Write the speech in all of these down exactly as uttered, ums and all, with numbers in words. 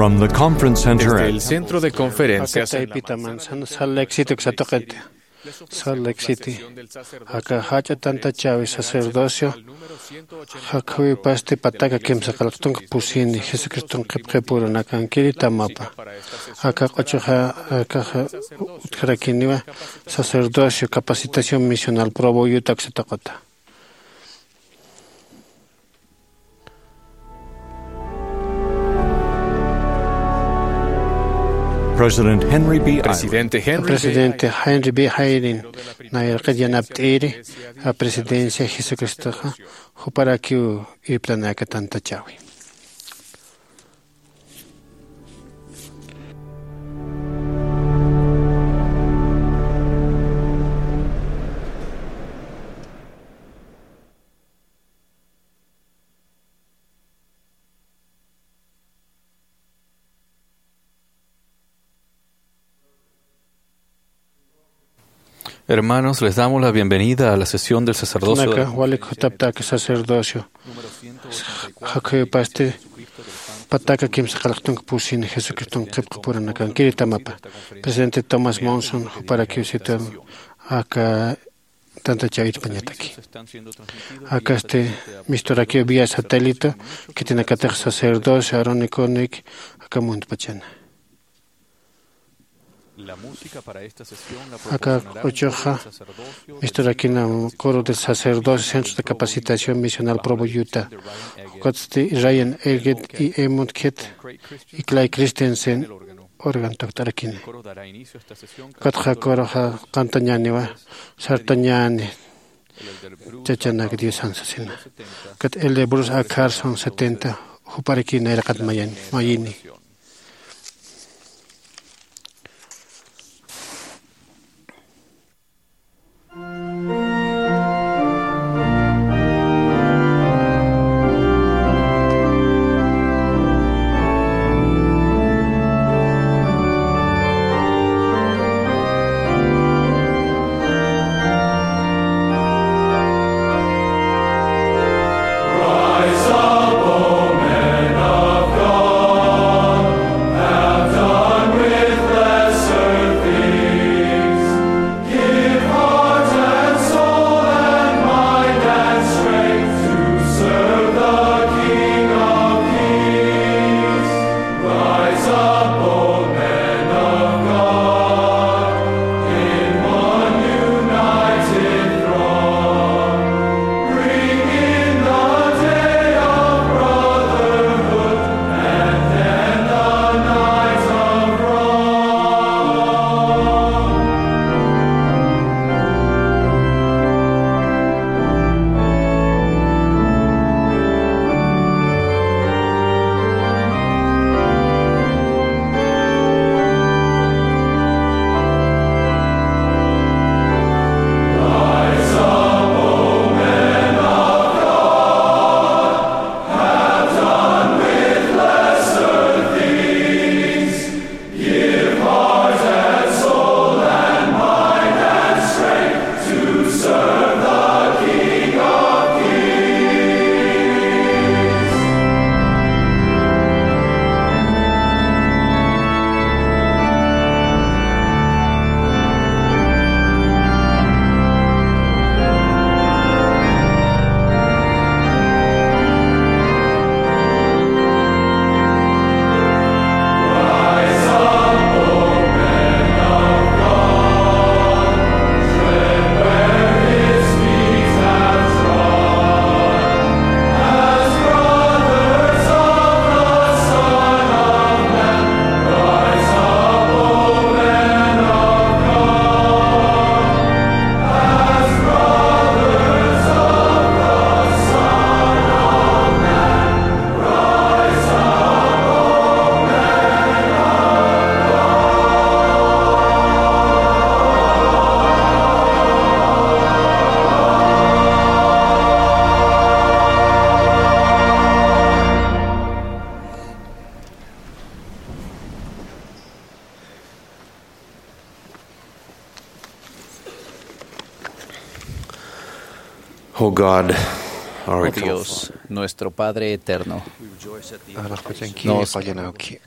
From the Conference Center Desde at el Centro de Conferencias Aka en la taypita Manzana, Salt Lake City, uksatuqit. Salt Lake City. Aka jach'a tantachäwi sacerdocio, jakhawipasti pataka kimsa qillqtunka pusini, Jesucriston qhipqipurunakankiri tamapa. Aka q'uchuxa, akaxa utjarakiniwa sacerdocio, capacitación misional, Provo, Utah, uksatuqita. President Henry B. Eyring. Presidente Henry B. Presidente Henry B. Eyring, nayraqit yanapt'iri, a presidencia Jesucristoxa, juparakiw irptanaka tantachäwi. Hermanos, les damos la bienvenida a la sesión del sacerdocio de Naka, walik jutaptaki sacerdocio. Jakhawipasti pataka kimsa qillqtunka pusini, Jesucriston qhipqipurunakankiri tamapa. Presidente Thomas Monson, juparakiw situm aka tantachäwi irpañataki. Akasti misturakiw vía satélite, khitinakatix sacerdocio Aaroniconik aka muntpachana. Aka q'uchuxa misturakina coro de sacerdocio, centros de capacitación misional Provo, Utah. Ukatsti Ryan Elgin y Edmund Kidd y Clay Christensen órgano tukt'arakini. Ukatxa coroxa qantañäniwa, sartañäni, chachanak Diosan sasina. Ukat el de Bruce A. Carson setenta, juparaki nayraqat mayani, mayini. Oh God, our Oh eternal Dios, Father. Nuestro Padre Eterno, Alaxpachanki, nos qallanawki.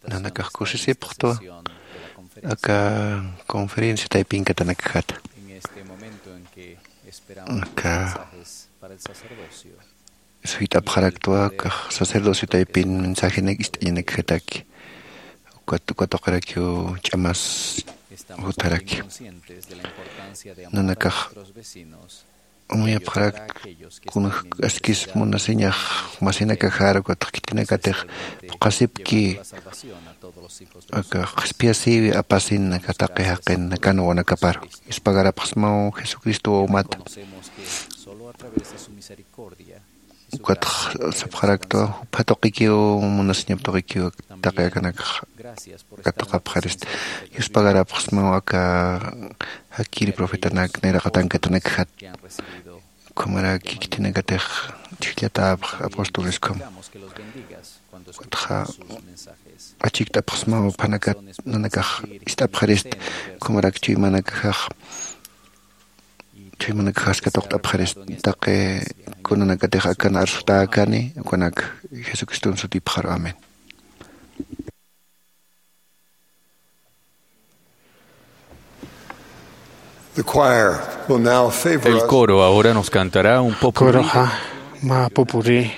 Nanakax kusisipxtwa aka conferencia taypinkatanakjata. Aka suyt'apxaraktwa kax sacerdocio taypin mensajenak ist'añanakjataki. Ukat uka tuqirakiw ch'amas jutharaki. Nanakax amuyapxarak kunjk'askis munasiñax masinakajar ukatx khitinakatix phuqhasipki aka qhispiyasïwi apasin aka taqi jaqin nakan wawanakaparu. Yuspagarapxsmaw Jesucristo wawmata. Ukatx sapxaraktwa jupha tuqikiw munasiñap tuqikiw taqi akanakxa katuqapxarista. Yuspagarapxsmaw aka jakiri profetanak nayraqatankatanakjat. Ukhamaraki khitinakatix chhijllatäpx apóstoles ukham. Ukatxa achikt'apxsmaw juphanakat nanakax ist'apxarista. Ukhamarak chuymanakajax chuymanakajax katuqt'apxarista taqi kunanakatix akan arsutäkani ukanak Jesucriston sutipxaru. Amén. The choir will now favor El us. Coro ahora nos cantará un popurrí. Coroxa mä popurrí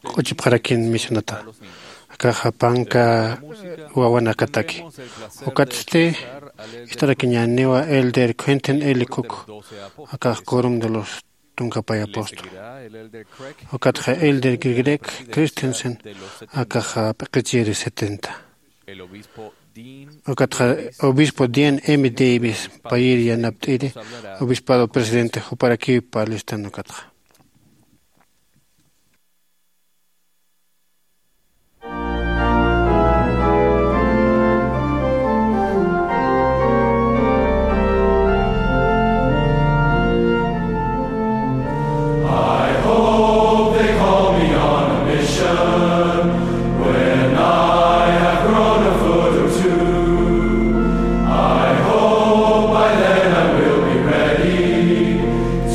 q'uchipxarakin misionata. Akaxa panka wawanakataki. Ukatsti ist'arakiñäniwa Elder Quentin L. Cook, akax Quorum de los Tunka Pay Apóstol. Ukatxa Elder Greg Christensen, akaxa p'iqichiri setenta. Ukatxa obispo Dean M. Davis, payïr yanapt'iri, obispado presidente, juparakiw parlistan ukatxa. I hope they call me on a mission when I have grown a foot or two. I hope by then I will be ready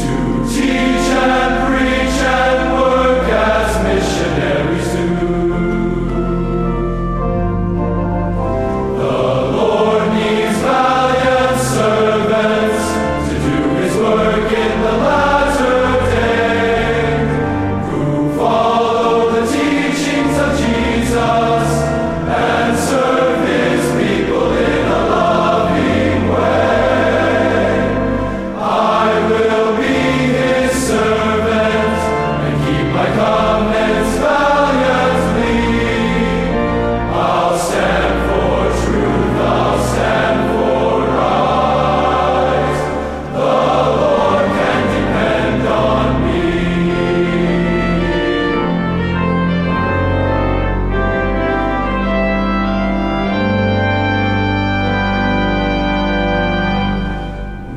to teach and preach and work as missionaries do. The Lord needs valiant servants to do his work in the latter day, who follow the teachings of Jesus and serve his people in a loving way. I will be his servant and keep my covenants valiantly. I'll stand for truth, I'll stand for right. The Lord can depend on me.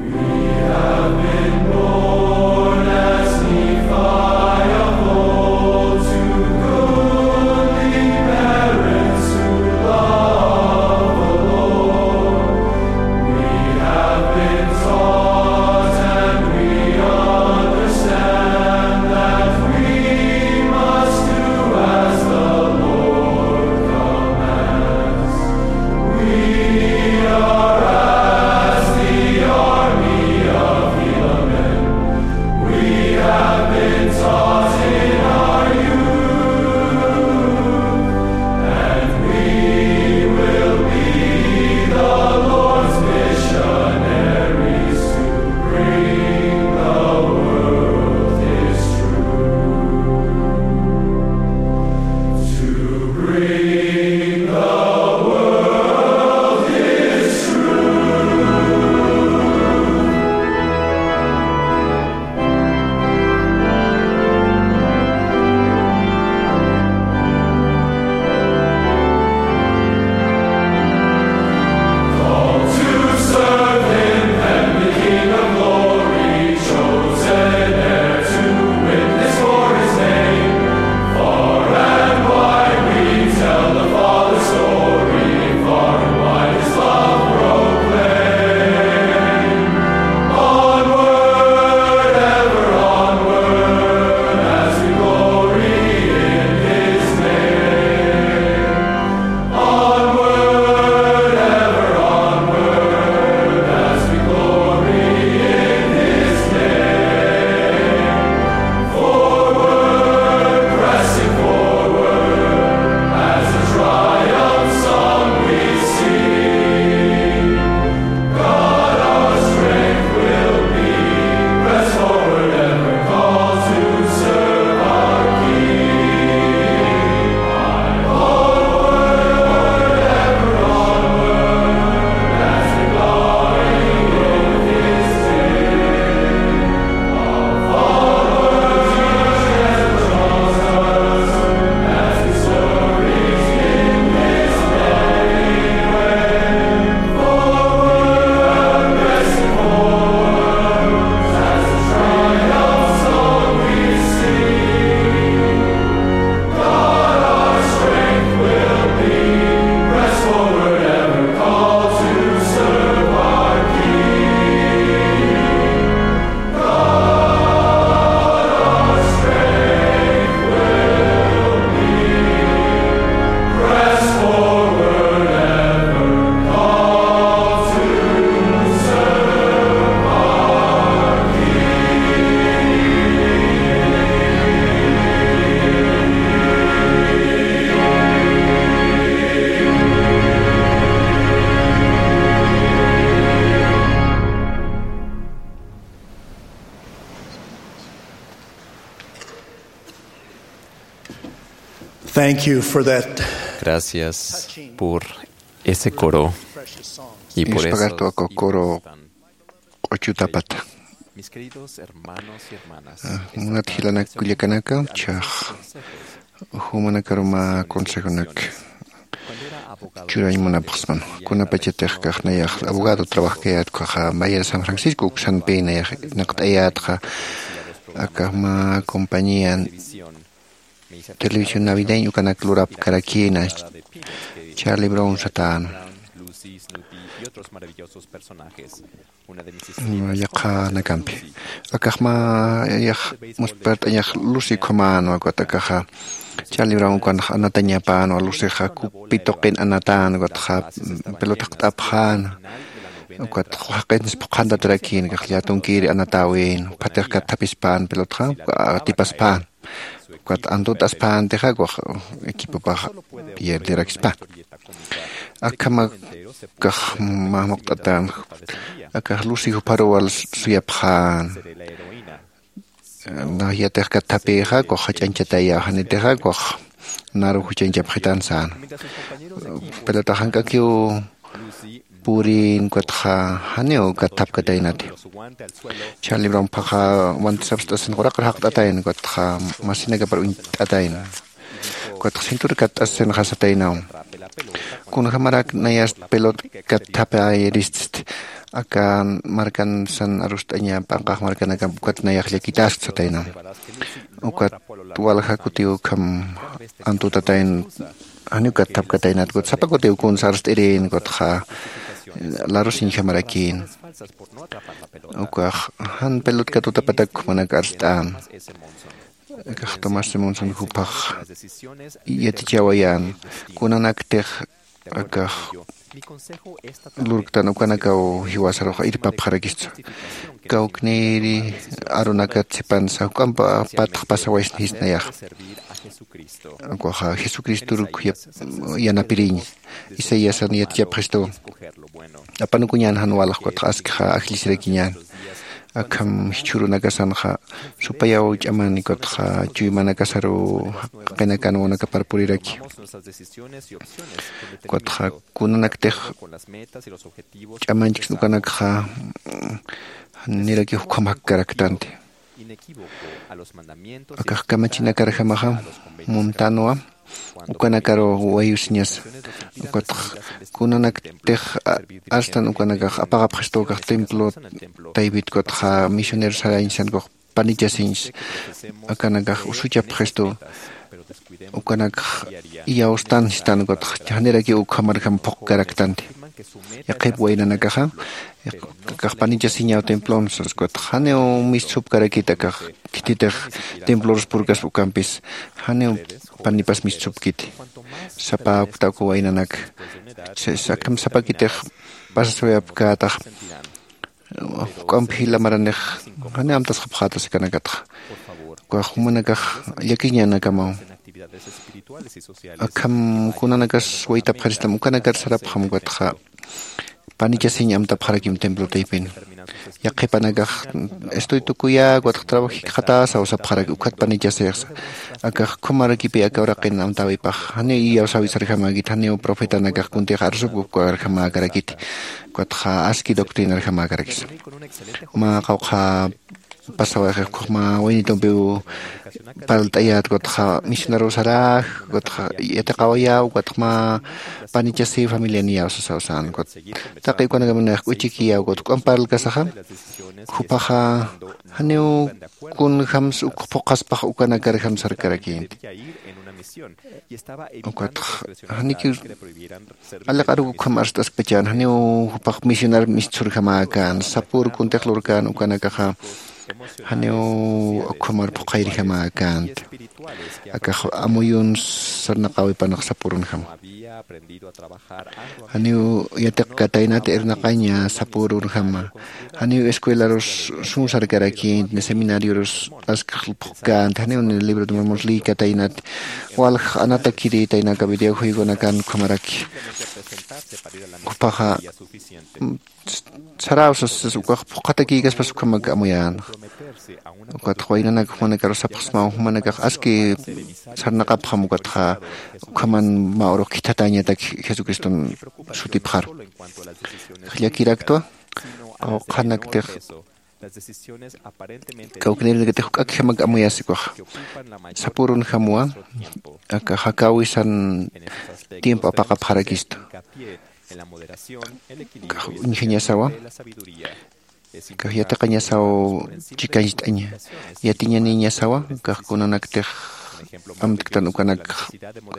We have been born as Nephi of old to goodly parents who love the Lord. We have been taught and we understand that we must do as the Lord commands. We are as the army of Helaman. We have been taught in our youth, and we will be the Lord's missionaries to bring the world His truth. To bring the world Thank you for that. Gracias por ese coro y por Yuspagartu eso. Aka coro q'uchutapata. Mis queridos hermanos y hermanas, ah, munat jilanak kullakanaka, chaq jumanakaru mä consejonak churañ munapxsman. Kunapachatix kax nayax abogado trabajkayät ukkhaxa Bahía de San Francisco uksanpi nayax naqt'ayätxa, aka mä compañía televisión navideña ukanak lurapkarakïna, Charlie Brown satäna. Yaqhanakampi. Akax mä yax muspart'añax Lucy ukhamänwa, ukat akaxa Charlie Brown ukanx anatañapänwa, Lucyxa kupi tuqin anatän, ukatxa pelota jaqt'apxäna. Ukat jaqinsa phuqhantarakïna, akax llätunkiri anatäwin, phatix katthaphispän pelotxa, atipaspäna. Ukat antutaspäntixa, ukax equipopax pierdirakispän. Akham akax mä muqt'atän, akax Lucy jupharuw wal suyapxän. Nax yatix katthapïxa, ukax jach'añchatayaw, janitixa, ukax naru juchañchapxitän säna. Pelotax jank'akiw purin, ukatxa janiw katthapkataynati. Charlie Brown jupaxa guantes apst'asin uraqir jaqt'atayna, ukatxa masinakapar uñt'atayna. Ukatxa cintura katt'asinxa sataynaw. Kunjamarak nayast pelota katthapayiristi, aka markansan arust'aña p'anqax markanakamp ukat nayax llakitäski sataynaw. Ukat walja kutiw ukham antutatayn, janiw katthapkataynat, ukat sapa kutiw kunsa arst'irin, ukatxa larusiñjamarakïn. Ukax jan pelota katutapatak jumanak arst'än. Akax Thomas Simonson jupax yatichawayän, kunanaktix akax lurktan ukanakaw jiwasarux irpapxarakistsa. Kawknïri arunakat sipansa, juk'amp patx pasawaysnïsnayax. Ukaxa Jesucristor yap-, yanapiriñ. Isaiasan yatichapxistu. Apanukuñän jan walja, ukatxa askixa ajllisirakiñän. Akham jichhürunakasanxa supayaw ch'aman, ukatxa chuymanakasaru jaqinakan wawanakapar puriraki. Ukatxa kunanaktix ch'amanchiksa ukanakxa, niraki ukham jakkaraktanti. Akax kamachinakarjamaxa muntanwa, ukanakaru wayusiñasa. Ukatxa kunanaktix a-, arstan ukanakax apaqapxistu, akax templo taypit, ukatxa misionero sarañsan, ukax panichasiñsa, akanakax usuchapxistu, ukanakax iyawstan sistan, ukatxa janirakiw ukhamarjam phuqkaraktanti. Yaqhip waynanakaxa, yaq-, akax panichasiñaw templon sas, ukatxa janiw mistsupkarakit, akax khititix templorus purkaspa ukampis, janiw panipas mistsupkiti. Sapa ukta uka waynanak, sa-, akham sapakitix pasasawayapkätax, juk'amp jila maranix janiw amtasxapxätasa akanakatxa. Ukax jumanakax llakiñanakamaw. Akham kunanakas waytapxaristam ukanakar sarapxam, ukatxa panichasiñ amtapxarakim templo taypin. Yaqhipanakax estoy tukuyä, ukatxa trabajikxatäsaw sapxaraki, ukat panichasixsa. Akax ukhamarakipï aka uraqin amtäwipax, janiw iyawsäwisarjamäkit, janiw profetanakax kuntix arsupkarjamäkarakiti, ukatxa aski doctrinarjamäkarakisa. Mä qawqha pasawayxi, ukkhax mä waynitumpiw parlt'ayät, ukatxa misionerow saräx, ukatxa yatiqawayäw, ukatxa mä panichasï familia niyäw sasaw sän, ukat taqi ukanakamanix k'uchikiyäw, ukat juk'amp parlkasaxa, jupaxa janiw kunjams uk phuqhaspax ukanakarjam sarkarakïnti. Ukatxa janikiw alliq aruk ukham arst'askpachan, janiw jupax misionar mistsurjamäkän, sapür kuntix lurkän ukanakaxa, janiw ukhamar phuqhayrjamäkänti. Akax amuyun sarnaqäwipanax sapürunjama. Janiw yatiqkataynat irnaqaña sapürunjama. Janiw escuelarus sum sarkarakïnti, seminariorus askx phuqkänti, janiw ni libro de Mormon liykataynat, walja anatakirïtaynaka videojuegonakan ukhamaraki. Jupaxa, mm, saräw sas, sas ukax phuqhatakïkaspas ukhamak amuyän. Ukatxa waynanak jumanakaru sapxsmaw, jumanakax aski sarnaqapxam ukatxa ukhaman mä urux khithatäñatak Jesucriston sutipxaru. Llakiraktwa, qawqhanaktix kawknirnakatix juk'akjamak amuyasikuxa. Sapürunjamwa, aka jakäwisan tiempo apaqapxarakistu. Uñjañasawa, kax yatiqañasaw chikañcht'aña. Yatiñanïñasawa kax kunanaktix amtktan ukanak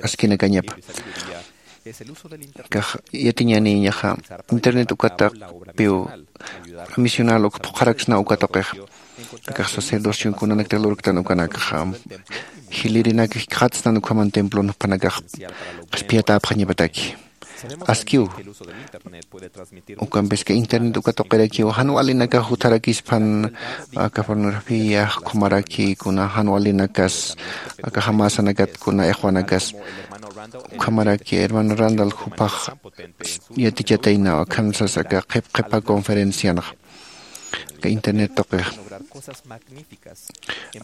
askinakañapa. Kax yatiñanïñaxa internet ukatapiw misional uk phuqharaksna uka tuqixa. Akax sacerdocion kunanaktix lurktan ukanakxa jilïrinak jikxatsnan ukhaman templon jupanakax qhispiyatäpxañapataki. Askiw ukampiski internet uka tuqirakiw jan walinakax jutharakispan, aka pornografía ukhamaraki kuna jan walinakas, aka jamäsanakat kuna iqwanakas. Ukhamaraki hermano Randall jupax yatichataynaw akham sas aka qhip qhipa conferencianxa aka internet tuqix.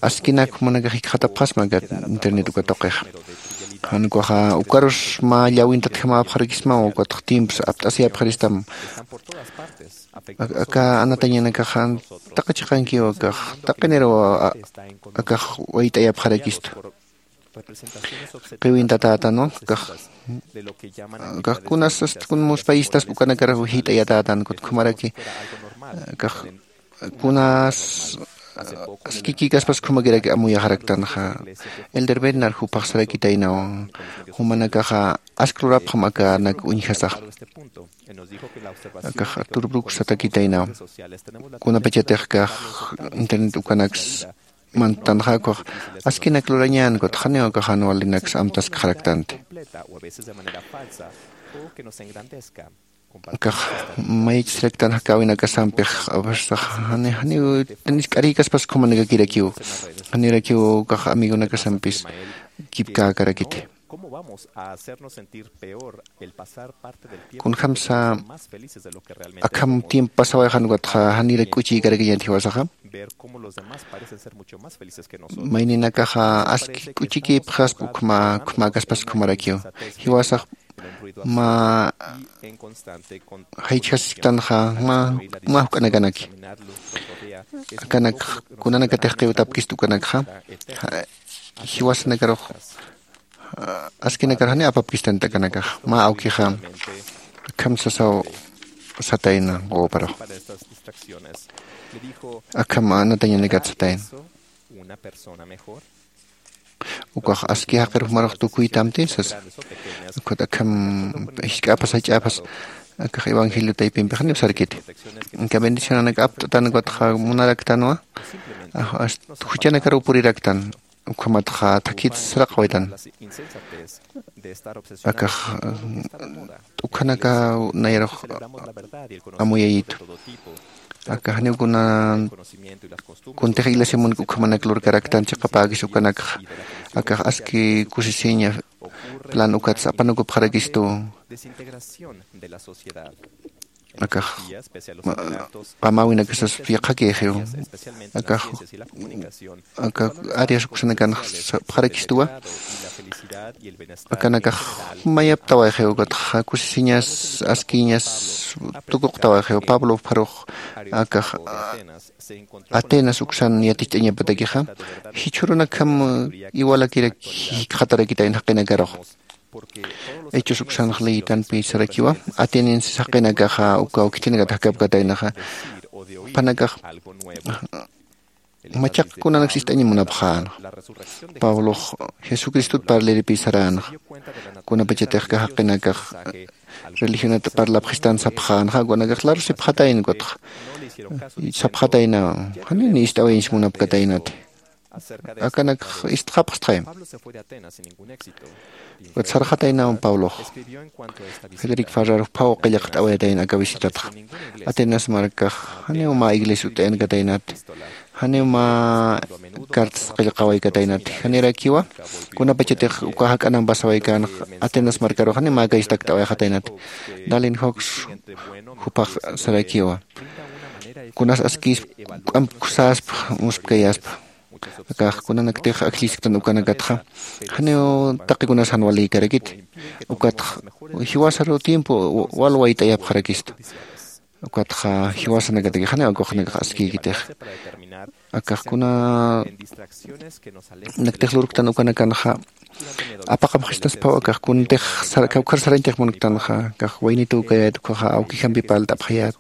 Askinak jumanakax jikxatapxasma aka internet uka tuqix. Jan ukaxa ukarus mä llawintatjamäpxarakismaw ukatx tiempos apt'asiyapxaristam. Aka anatañanakaxa taqi chiqankiw akax taqiniraw akax wayt'ayapxarakistu. Qiwintatätanwa kax kax kunas ast kun muspayistaspa ukanakar jit'ayatätan kutkumaraki kax kunas askikikaspas khumakiraki amuyaxaraktanxa. Elder Bednar jupax sarakitaynaw jumanakaxa ask lurapxam akanak uñjasax. Akax Artur Bruk satakitaynaw kunapachatix kax internet ukanaks mantanxa ukax askinak lurañän kutxaniw akax jan walinaks amtaskxaraktanti. Akax mayachasiraktan jakäwinakasampix aversax jani janiw tanisk'arïkaspas khumanakakirakiw janirakiw ukax amigonakasampis kipkäkarakiti. Kunjamsa akham tiempo pasawayxan ukatxa janira k'uchïkarakiñat jiwasaxa. Mayninakaxa aski k'uchikïpxaspa ukhma ukhmäkaspas ukhamarakiw jiwasax mä jaychjasktanxa mä juk'anakanaki. Akanak kunanakatix qiwtapkist ukanakxa jiwasanakarux askinakar jani apapkistan t'akanakax mä awkixa akham sasaw satayna quwaparaw. Akham anatañanakat satayna ukax aski jaqirux marux tukuytamti sasa. Ukat akham jisk'apas jach'apas akax evangelio taypimpix janiw sarkiti. Inka bendicionanak apt'atan ukatxa munaraktanwa juchanakaruw puriraktan. Ukhamatxa thakit saraqawaytan akax t'ukhanaka nayarux amuyayitu. Akax janiw kuna kuntix iglesiamunak ukhamanak lurkaraktan chiqapäkis ukanakxa akax aski kusisiña plan ukatsa apanukupxarakistu. Akax qamäwinakasas yaqhakïxiw akax aka áreas uksanakanx sapxarakistuwa. Akanakax mayaptawayxiw ukatxa kusisiñas askiñas tukuqtawayxiw pablo pharux akax atenas uksan yaticht'añapatakixa jichhürunakjam iwalakiraki jikxatarakitayna jaqinakarux. Hechos uksanx leyitanpi sarakiwa atenienses jaqinakaxa ukaw khitinakat jakapkataynaxa jupanakax machaq kunanaks ist'aña munapxänxa. Pablox jesucristot parliripi saränxa kunapachatix jaqinakax religionat parlapxistan sapxänxa ukanakax larusipxatayna ukatxa sapxatayna janini ist'awayañs munapkataynati. Akanakx ist'xapxstxay. Ukat sarxataynawan pablox federic farrarux phaw qillqt'awayatayna aka visitatxa. Atenas markax janiw mä iglesia ut'ayankataynati janiw mä cartas qillqawaykataynati janirakiwa kunapachatix uka jak'anam pasawaykanxa atenas markarux janiw mä kaystakt'awayxataynati. Dalin jox jupax sarakiwa kunas askispa, k'amp khusaspa, muspkayaspa. Akax kunanaktix ajllisktan ukanakatxa janiw taqi kunas jan walïkarakiti. Ukatxa jiwasaru tiempo wal wayt'ayapxarakistu. Ukatxa jiwasanakataki janiw akuxnakax askïkitix. Akax kuna naktix lurktan ukanakanxa apaqapxistaspaw akax kuntix kawkhar sarañtix munktanxa. Akax waynituw kayät ukhaxa awkijampi parlt'apxayät.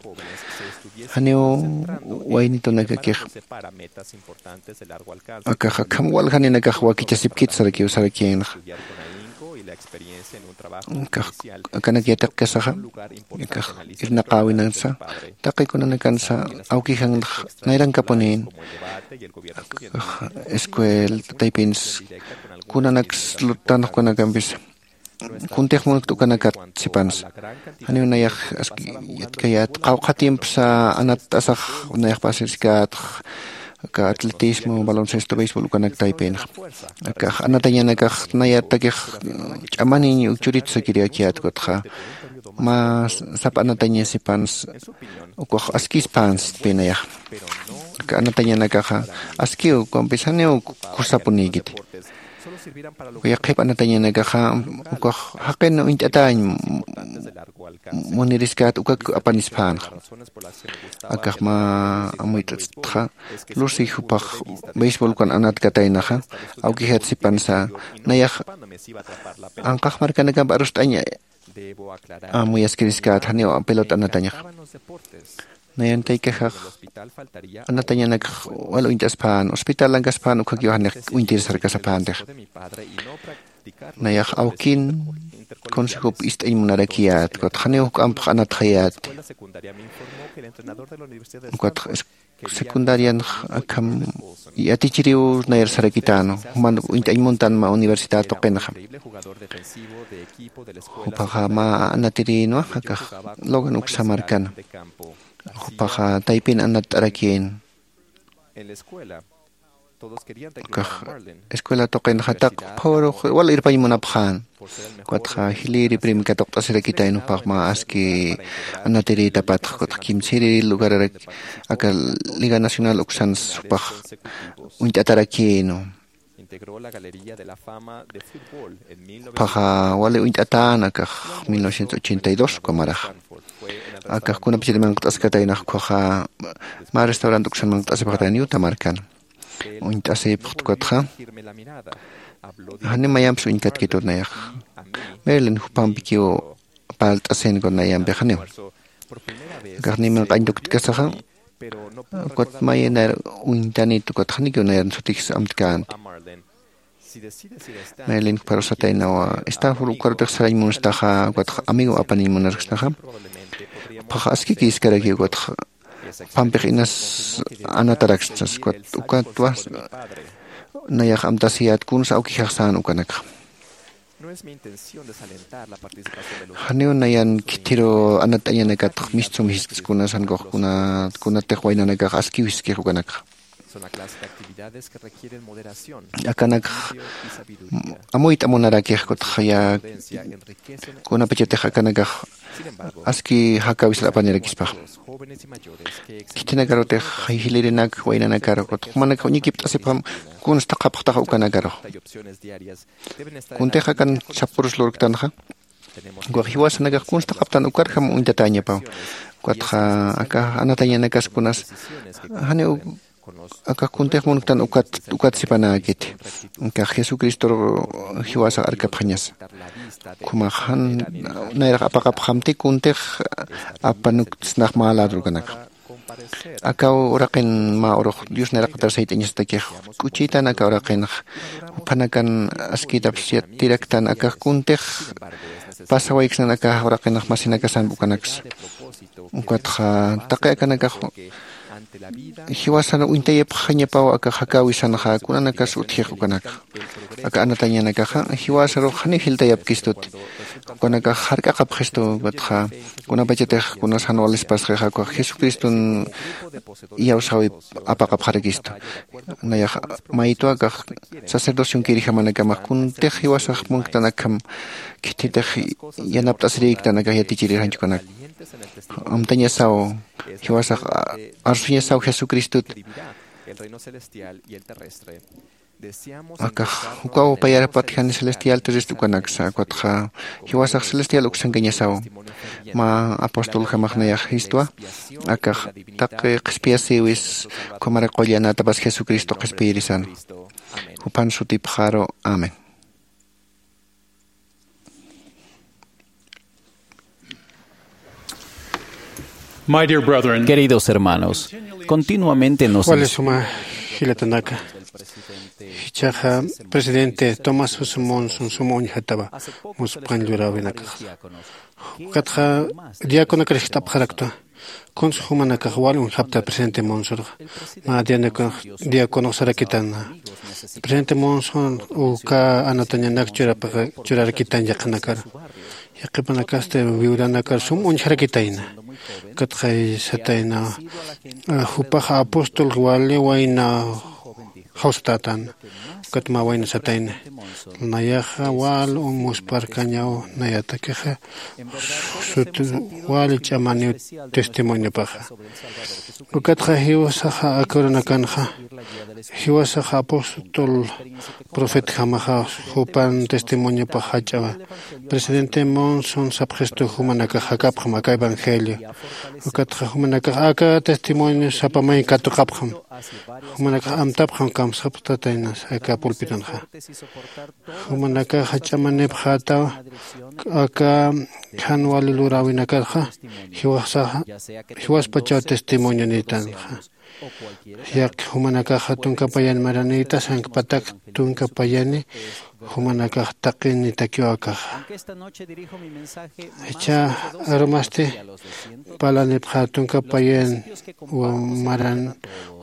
Janiw waynitunakakix akax akham waljaninakax wakichasipkit sarakiw sarakïnxa. Akax akanak yatiqkasaxa akax irnaqäwinansa taqi kunanakansa awkijanx nayrankapunïn. Akax escuel taypins kunanaks luttanx kunakampis kuntix munkt ukanakat sipansa. Janiw nayax aski yatkayät qawqha tiempsa anatt'asax nayax pasiriskät aka atletismo, baloncesto, béisbol ukanak taypinxa. Akax anatañanakax nayatakix ch'amaniñ churitsakiriyakiyät ukatxa mä sapa anataña sipans ukax askispäns sitpï nayax. Aka anatañanakaxa askiw ukampis janiw kusapunïkiti. Uka yaqhip anatañanakaxa ukax jaqin uñt'atäñ muniriskät ukak apanispänxa. Akax mä amuyt'atxa lucy jupax béisbol ukan anatkataynaxa awkijat sipansa nayax anqax markanakamp arust'añ amuyaskiriskät janiw pelota anatañax. Nayan taykaxax anatañanakax wal uñt'aspän hospitalankaspän ukhakiw janix uñtir sarkasapäntix. Nayax awkin consejop ist'añ munarakiyät ukat janiw juk'ampx anatxayäti. Ukat secundarianx akham yatichiriw nayar sarakitänu juman uñt'añ muntan mä universidad tuqinxa. Juphaxa mä anatirïnwa akax logan uksa markana. Juphaxa taypin anatt'arakïn. Akax escuela tuqinxa taq phurux wal irpañ munapxän. Ukatxa jilïri prim katuqt'asirakitayn juphax mä aski anatirïtapatx ukatxa kimsiri lugararak aka liga nacional uksans jupax uñt'atarakïnu. Phaxa wali uñt'atän akax mil novecientos ochenta y dos uka maraxa. Akax kunapachat manqt'askataynax ukhaxa mä restaurant uksan manqt'asipxatayna yuta markan. Uñt'asipxt ukatxa jani mayampis uñkatkitut nayax. Merlin jupampikiw parlt'asin kun nayampix janiw. Akax nimin q'añtukutkasaxa ukat mayi nayar uñtanit ukat janikiw nayar sutix amtkänti. Maylin parusataynawa stanford ukarutix sarañ munstaxa ukatxa amigo apaniñ munarksnaxa. Phaxa askiki iskaraki ukatxa pampix inas anataraksnas ukat ukatwa nayax amtasiyät kunsa awkixaxsän ukanakxa. Janiw nayan khithiru anat'añanakatx mistsum jiskskunas jankux kunatix waynanakax askiw jiskix ukanakxa. Akanakx amuyt'amunarakix kutxaya kunapachatix akanakax aski jakawisar apanirakispax. Khithinakarutix jilirinak waynanakar kutx jumanakax uñikipt'asipxam kunsta qhapxtax ukanakarux. Kuntix akan sapurus lurktanxa ukax jiwasanakax kunsta qhaptan ukarjam uñtatañapaw. Ukatxa aka anatañanakas kunas janiw akax kuntix munktan ukat ukat sipanäkiti. Akax jesucristor jiwasax arkapxañasa. Ukhumax jan nayrax apaqapxamti kuntix apanuktsnax mä ladrukanakxa. Akaw uraqin mä urux dios nayraqatar sayt'añasatakix k'uchïtan aka uraqinx juphanakan askïtapsiyatiraktan akax kuntix pasawayksnan aka uraqinx masinakasamp ukanaksa. Ukatxa taqi akanakax jiwasan uñtayapxañapaw akax jakäwisanxa kunanakas utjix ukanakxa. aka anatañanakaxa jiwasarux janiw jiltayapkistuti. Ukanakax jark'aqapxistu, ukatxa kunapachatix kunas jan walispaskixa ukax jesucriston iyawsawi apaqapxarakistu. Nayax maytwa akax sacerdocion kirijamanakamax kuntix jiwasax munktanakjam khithitix yanapt'asirïktanakax yatichirirjanchukanak. Amtañasaw jiwasax arsuñasaw jesucristut. Akax ukaw payarapatjani celestial terrestre ukanaksa ukatxa jiwasax celestial uksankañasaw. Mä apostol jamaxnayax jistwa akax taqi qhispiyasiwis ukhamara qullanatapas jesucristo qhispiyirisan. Juphan sutipxaru. Amén. Queridos hermanos, continuamente nos... Wali suma jilatanaka, jichhaxa presidente tomás monson suma uñjatawa muspxañ luräwinakax. Ukatxa diaconakar jist'apxaraktwa kunsa jumanakax wal uñjapta presidente monsorxa. Mä diaconux sarakitan presidente monson uka anatañanak churarakitan yaqhanakar. Yaqhipanakasti viudanakar sum uñjarakitayna. Ukatxay satayna jupax apóstol wali wayna jawsatätan. Ukat mä wayna satayna nayaxa wal musparkañaw nayatakixa sut wali ch'amaniw testimoniopaxa. Ukatxa jiwasaxa aka uranakanxa jiwasaxa apóstol profetjamaxa jupan testimoniopax jach'awa. Presidente monson sapxistu jumanakax jakapxam aka evangelio. Ukatxa jumanakax aka testimonio sapamay katuqapxam. Jumanakax amtapxam kamsxapxtataynas aka pulpitonxa. Jumanakax jach'amanipxätaw aka jan wali luräwinakarxa jiwaspachaw testimonio nitanxa. Yaqh jumanakaxa tunka payan maranïta sankpatak tunka payani jumanakax taqinitakiw akaxa. Jichha arumasti parlanipxä tunka payan maran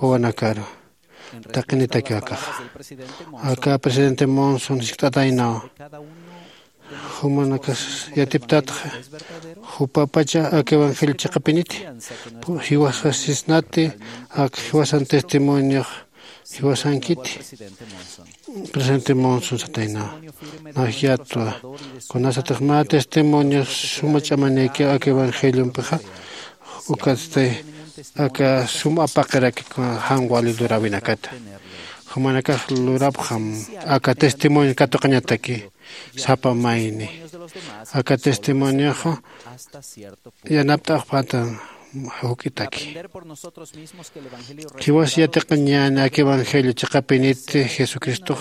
wawanakaru taqinitakiw akaxa. Aka presidente monson jiskt'ataynaw jumanakas yatiptatxa jupapacha aka evangelio chiqapiniti jiwasasisnati aka jiwasan testimoniox jiwasankiti. Presidente monson sataynaw nax yatwa kunasatix mä testimonio suma ch'amanïkiw aka evangeliompixa. Ukatsti aka sum apaqiraki jan wali luräwinakata. Jumanakax lurapxam aka testimonio katuqañataki sapa mayni. Aka testimonioxa yanapt'axpata juk'itaki. Jiwas yatiqañäni aka evangelio chiqapiniti jesucristox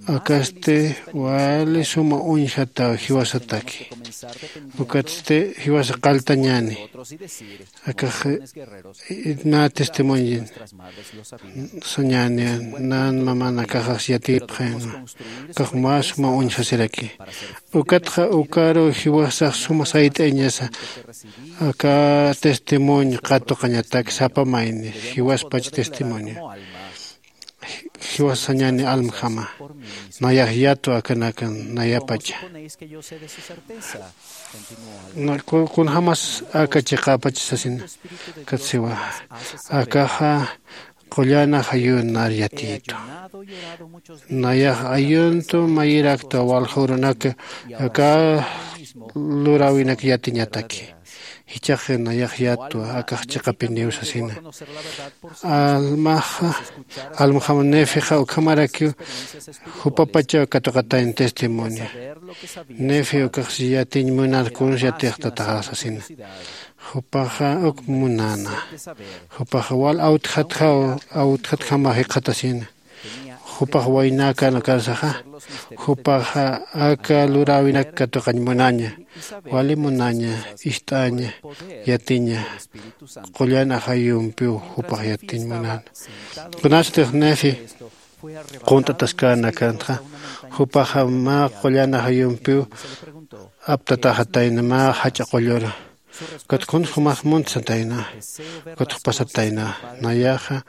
akasti wali suma uñjataw jiwasataki. Ukatsti jiwasa qalltañäni akax mä testimonio sañäni nan mamanakaxas yatipxaynwa. Akax mä suma uñjasiraki. Ukatxa ukaru jiwasax suma sayt'ayañasa aka testimonio qatuqañatak sapa mayni jiwaspach testimonio. Jiwasañäni almjama nayax yatwa akanakan nayapacha. Kunjämas aka chiqäpach sasina katsiwa akaxa qullan ajayunar yatiytu. Nayax ayuntu mayiraktwa walja urunak aka luräwinak yatiñataki. Jichhax nayax yatwa akax chiqapiniw sasina. Almaxa almjam nefixa ukhamarakiw jupapachaw katuqatayna testimonio. Nefi ukax yatiñ munar kuns yatixtataxa sasina. Jupaxa uk munäna. Jupaxa wal awtjatjaw awtjatjama jikxatasina. Jupax waynäkän ukarsaxa jupaxa aka luräwinak katuqañ munaña. Wali munaña ist'aña yatiña. Qullan ajayumpiw jupax yatiñ munäna. Kunasatix nefi qunt'ataskänakantxa jupaxa mä qullan ajayumpiw aptataxatayna mä jach'a qullura. Ukat kuns jumax munt satayna. Ukat jupasatayna nayaxa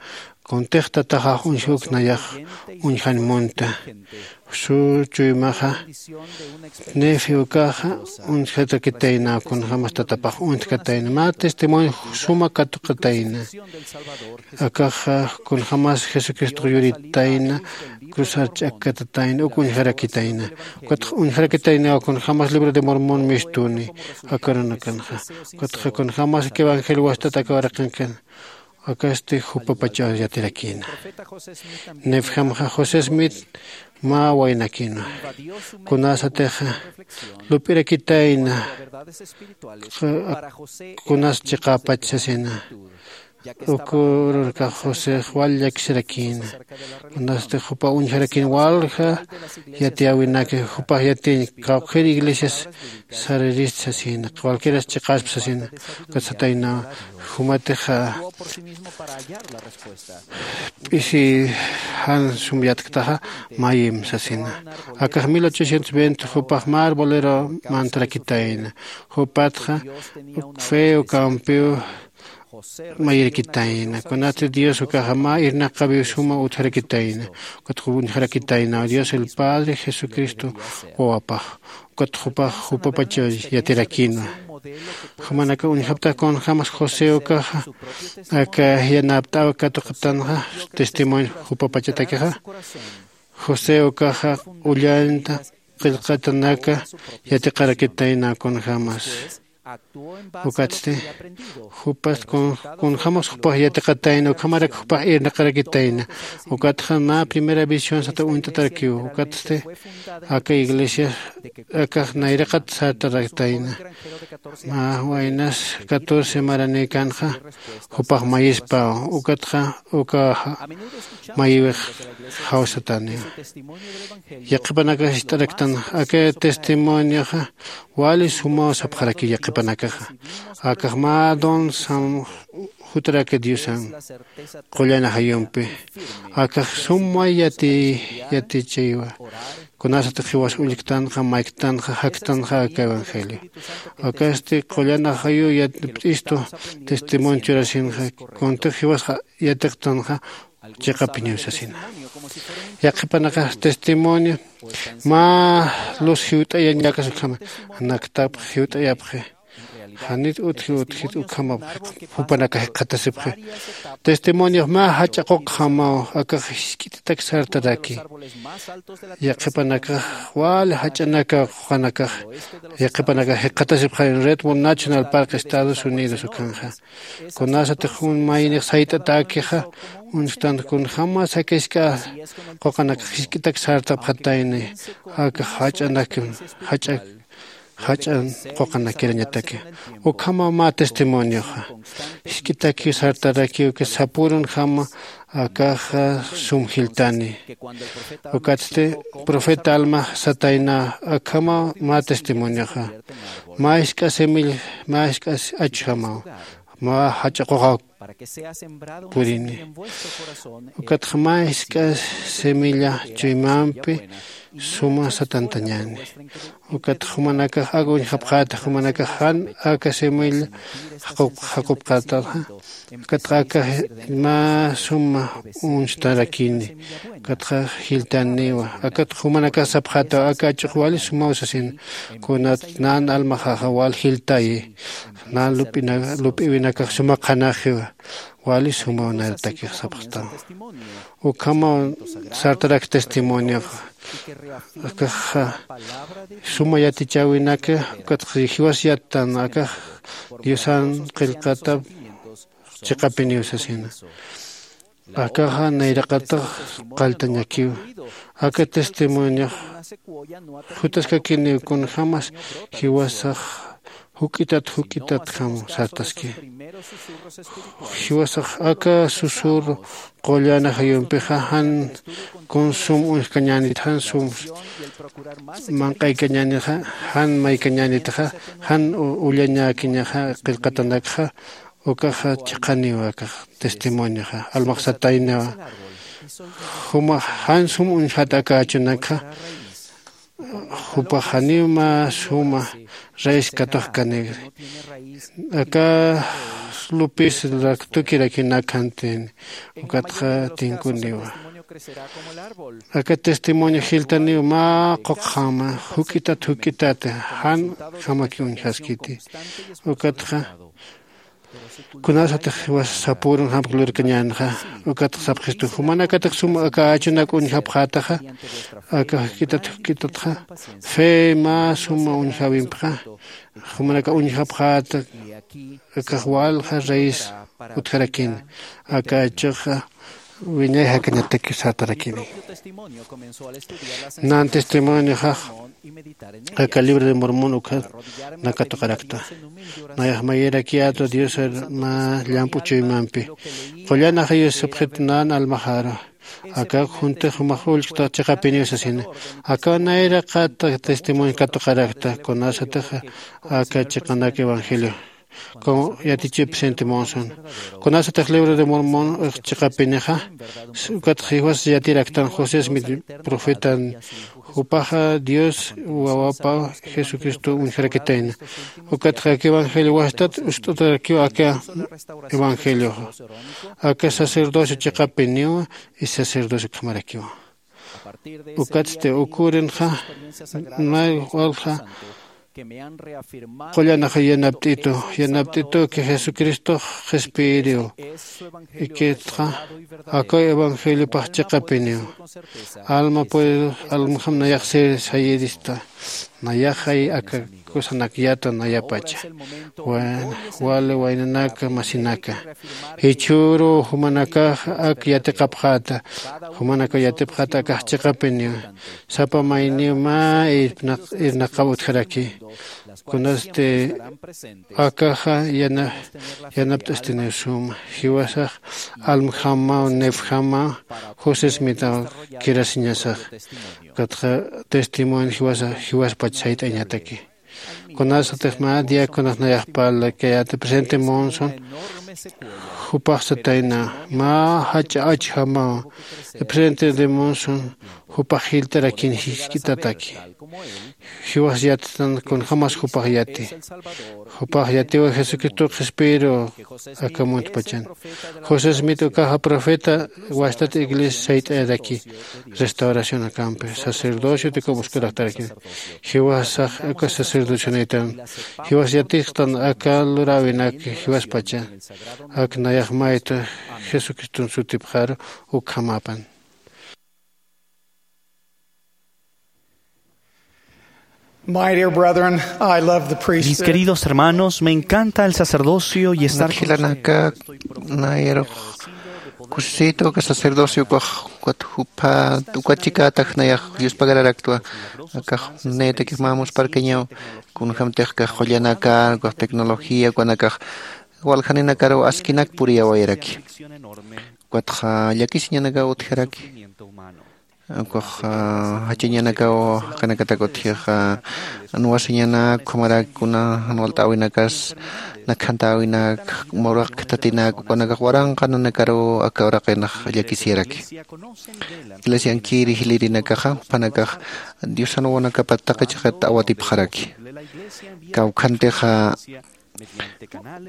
Kuntix tataxax uñjuknayax uñjan munta. Su chuymaxa nefi ukaxa uñjatakitayna kunjämas tatapax uñtkatayna mä testimonio suma katuqatayna. Akaxa kunjämas jesucristox yuritayna, cruzar ch'akkatatayna uk uñjarakitayna. Ukatxa uñjarakitayna kunjämas libro de mormón mistuni akarunakanxa. Ukatxa kunjämas evangelio wastat aka waraqinkan akasti jupapachaw yatirakïna. Nefjamxa josé smith mä waynakïna. Kunasatixa lup'irakitayna kunas chiqäpach sasina. Ukururkax josex wal llakisarakïna. Kunasti jupa uñjarakïn walja yatiyäwinaki jupax yatiñ qawqhir iglesias saririst sasina cualquieras chiqasp sasina. Ukat sataynaw jumatixa p'isi jan sum yatktaxa mayim sasina. Akax mil ochocientos veinte jupax mä arbolero mantarakitayna. Jupatxa feo campew mayirkitayna kunatsi dios ukaxa mä irnaqawiw suma utjarakitayna. Ukat uñjarakitayna dios el padre jesucristo wawapax. Ukat jupax jupapachaw yatirakïnwa. Jumanaka uñjaptax kunjämas josé ukaxa aka yanapt'aw katuqtanxa testimonio jupapachatakixa. José ukaxa ullanta qillqatanaka yatiqarakitayna kunjämas. Ukatsti jupas kunjämas jupax yatiqatayna ukhamarak jupax irnaqarakitayna. Ukatxa mä primera visión sata uñt'atarakiw. Ukatsti aka iglesia akax nayraqat sartaraktayna. Mä waynas catorce maranïkanxa jupax mayispaw. Ukatxa ukaxa mayiwix jawsataniw. Yaqhipanakax ist'araktan aka testimonioxa wali sumaw sapxarakiw yaqhipanakaxa. Akax mä don sam jutaraki diosan qullan ajayumpi. Akax sum may yati yatichaywa. Kunasatix jiwas ullktanxa mayktanxa jaktanxa aka evangelio. Akasti qullan ajayu p'istu testimonio churasinxa kuntix jiwasxa yatiqtanxa chiqapiniw sasina. Yaqhipanakax testimonio mä luz jiwt'ayañakas ukhama naktapx jiwt'ayapxi. Janit utji utjit ukhamapxi jupanakax jikxatasipxi. Testimoniox mä jach'a quqjamaw akax jisk'itatak sartaraki. Yaqhipanakax wali jach'anaka quqanakax yaqhipanakax jikxatasipxarin redwood national park estados unidos ukhanxa. Kunasatix jun maynix sayt'atäkixa uñjtan kunjämas aka jisk'a quqanakax jisk'itak sartapxatayni. Akax jach'anakim jach'a jach'an quqanakirañataki. Ukhama mä testimonioxa jisk'itakiw sartarakiw que sapürunjama akaxa sum jiltani. Ukatsti profeta almax satayna akhama mä testimonioxa mä jisk'a semilla mä jisk'a achujamaw mä jach'a quqaw purini. Ukatxa mä jisk'a semilla chuymampi suma satantañäni. Ukatxa jumanakax aka uñjapxäta jumanakax jan aka semilla jaqupxätaxa. Ukatxa aka mä suma uñstarakini. Ukatxa jiltaniwa akatxa jumanakax sapxätaw aka ach'ux wali sumaw sasin. Kunat nan almaxaxa wal jiltayi nan lup'iwinakax suma qhanaxiwa. Wali sumaw nayratakix sapxtaw. Ukhamaw sartarak testimonioxa akaxa suma yatichäwinaka. Ukatxa jiwas yattan akax diosan qillqatap chiqapiniw sasina. Akaxa nayraqatax qalltañakiw. Aka testimoniox jutaskakiniw kunjämas jiwasax juk'itat juk'itatjam sartaski. Jiwasax aka susur qullan ajayumpixa jan kun sum uñjkañänit jan sum manq'aykañänixa jan maykañänitxa jan ullañäkiñaxa qillqatanakxa. Ukaxa chiqaniw akax testimonioxa almax sataynawa. Jumax jan sum uñjat aka achunakxa jupax janiw mä suma raiskatux kanigri. Aka lupis raktukirakinak jantin. Ukatxa tinkuniwa. Aka testimonio jiltaniw mä quqjama juk'itat juk'itat jan jamaki uñjaskiti. Ukatxa kunasatix jiwas sapürun jamk lurkañänxa. Ukatxa sapxistu jumanakatix sum aka achunak uñjapxätaxa, aka juk'itat juk'itatxa fe mä suma uñjäwimpxa. Jumanaka uñjapxäta akax walja reyes utjarakïn. Aka achuxa wiñay jakañatak sartarakini. Nan testimonioxax aka libro de Mormón ukha nakatuqarakta. Nayax mayirakiyätwa Diosar mä llamp'u chuymampi. Qullan ajayus sapxitu nan almaxaru. Aka juntix jumax ullkta chiqapiniw sasina. Aka nayraqata testimonio katuqarakta kunasatix aka chiqanak evangelio. Como yatichi presente Monson. Kunasatix libro de Mormón chiqapinixa. Ukatxa jiwas yatiraktan José Smith profetan. Jupaxa Dios wawapa Jesucristo uñjarakitayna. Ukatxa aka evangelio wastat ust'utarakiw aka evangelioxa. Aka sacerdocio chiqapiniwa y sacerdocio ukhamarakiwa. Ukatsti ukürinxa nay walja qullanaxa yanapt'itu yanapt'itu que Jesucristox qhispiyiriw. Ikitxa akaw evangeliopax chiqapiniw. Alma puede almjam nayax ser sayirista. Nayaxay aka kusanak yata nayapacha. Wali waynanaka masinaka, jichhüru jumanakax ak yatiqapxäta. Jumanakaw yatipxäta akax chiqapiniw. Sapa mayniw mä irnaqaw utjaraki. Kunasti akaxa yanapt'astiniw suma jiwasax almjamaw nefjamaw. José smitaw kirasiñasax katxa testimonio jiwasa jiwaspach sayt'añataki. Kunasatix mä diaconas nayaxpala kayäta presente Monson jupax satayna mä jach'a achjamaw presente de Monson jupax jilt'arakin jisk'itataki. Jiwas yatitan kunjämas jupax yati. Jupax yatiwa Jesucristo qhispiru aka muntpachan. José smith ukaxa profeta wastat iglesia sayt'ayaraki. Restauración akampi sacerdocio tikumuskuraktaraki. Jiwasax aka sacerdocionaytan jiwas yatiqtan aka luräwinak jiwaspacha. Ak nayax mayta jesucriston sutipxaru ukhamapan. My dear brethren, I love the priesthood. Mis queridos hermanos, me encanta el sacerdocio y estar con ustedes. Jilanaka nayarux kusisitu aka sacerdocio ukax ukat jupha ukat chikätax nayax yuspagararaktu. Akax naytakix mä musparkañaw kunjämtix kax qullanakar ukax tecnología ukanakax waljaninakaru askinak puriyawayaraki. Ukatxa llakisiñanakaw utjaraki. Ukax jachañanakaw jaqinakatak utjixa nuwasiñanak ukhamarak kuna jan walt'äwinakas nakhantäwinak muraq khatatinak ukanakax waranqa nanakaru aka uraqinax llakisiyaraki. Iglesiankiri jilïrinakaxa juphanakax diosan wawanakapat taqi chiqit awatipxaraki. Kawkhantixa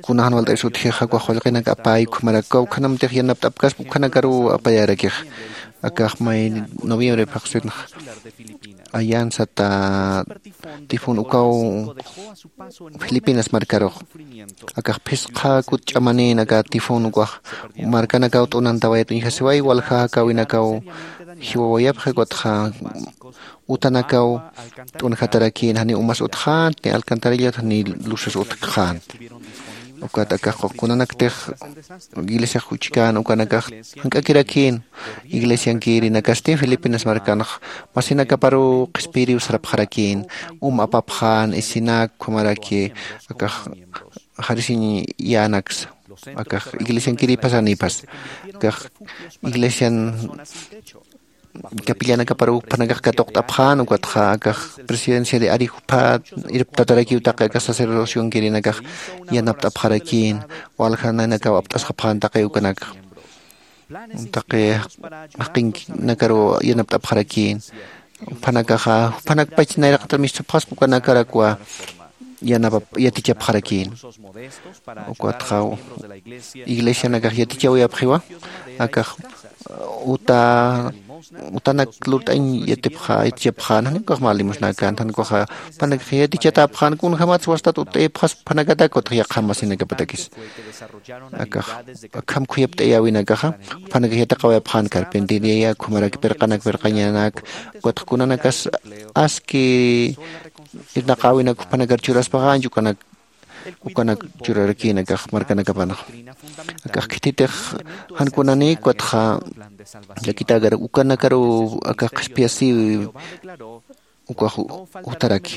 kuna jan walt'aysa utjixa ukax qullqinak apay ukhamarak kawkhanamtix yanapt'apkaspa ukhanakaruw apayarakix. Akax may noviembre phaxsinx ayan sata tifón ukaw filipinas markarux akax phisqa kut ch'amanin aka tifón ukax markanakaw t'unantawayat uñjasiway walja jakäwinakaw jiwawayapxi ukatxa utanakaw t'unjatarakin janiw umas utxänti alcantarillat janiw luzas utjkxänti. Ukat akax kunanaktix iglesiax juchkän ukanakax jank'akirakïn iglesiankïrinakasti filipinas markanx masinakaparuw qhispiyiriw sarapxarakïn um apapxän isinak ukhamaraki akax jarisiñ yänaksa akax iglesiankiri pasanipas akax iglesian capillanakaparuw juphanakax katuqt'apxän ukatxa akax presidencia de ari juphat irptatarakiw taqi akax sacerdocionkirinakax yanapt'apxarakïn walja nanakaw apt'asxapxän taqi ukanakax taqi jaqinkinakaruw yanapt'apxarakïn. Juphanakaxa juphanakpach nayraqatar mistupxaspa ukanakarakwa yanapap yatichapxarakïn. Ukatxa iglesianakax yatichawayapxiwa akax uta utanak lurt'añ yatipxa yatichapxän jan ukax mä limosnäkän jan ukaxa jupanakax yatichatäpxän kunjämatsa wastat ut'ayapxas jupanakatak utx yaqham masinakapatakis akax akham khuyapt'ayäwinakaxa jupanakax yatiqawayapxän carpintería ukhamarak pirqanak pirqañanak ukatxa kunanakas aski irnaqäwinak jupanakar churaspaxa ancha ukanak ukanak churarakïn akax markanakapanxa akax khithitix jan kunanïk ukatxa llakitäkarak ukanakaruw akax qhispiyasïwi ukax jutaraki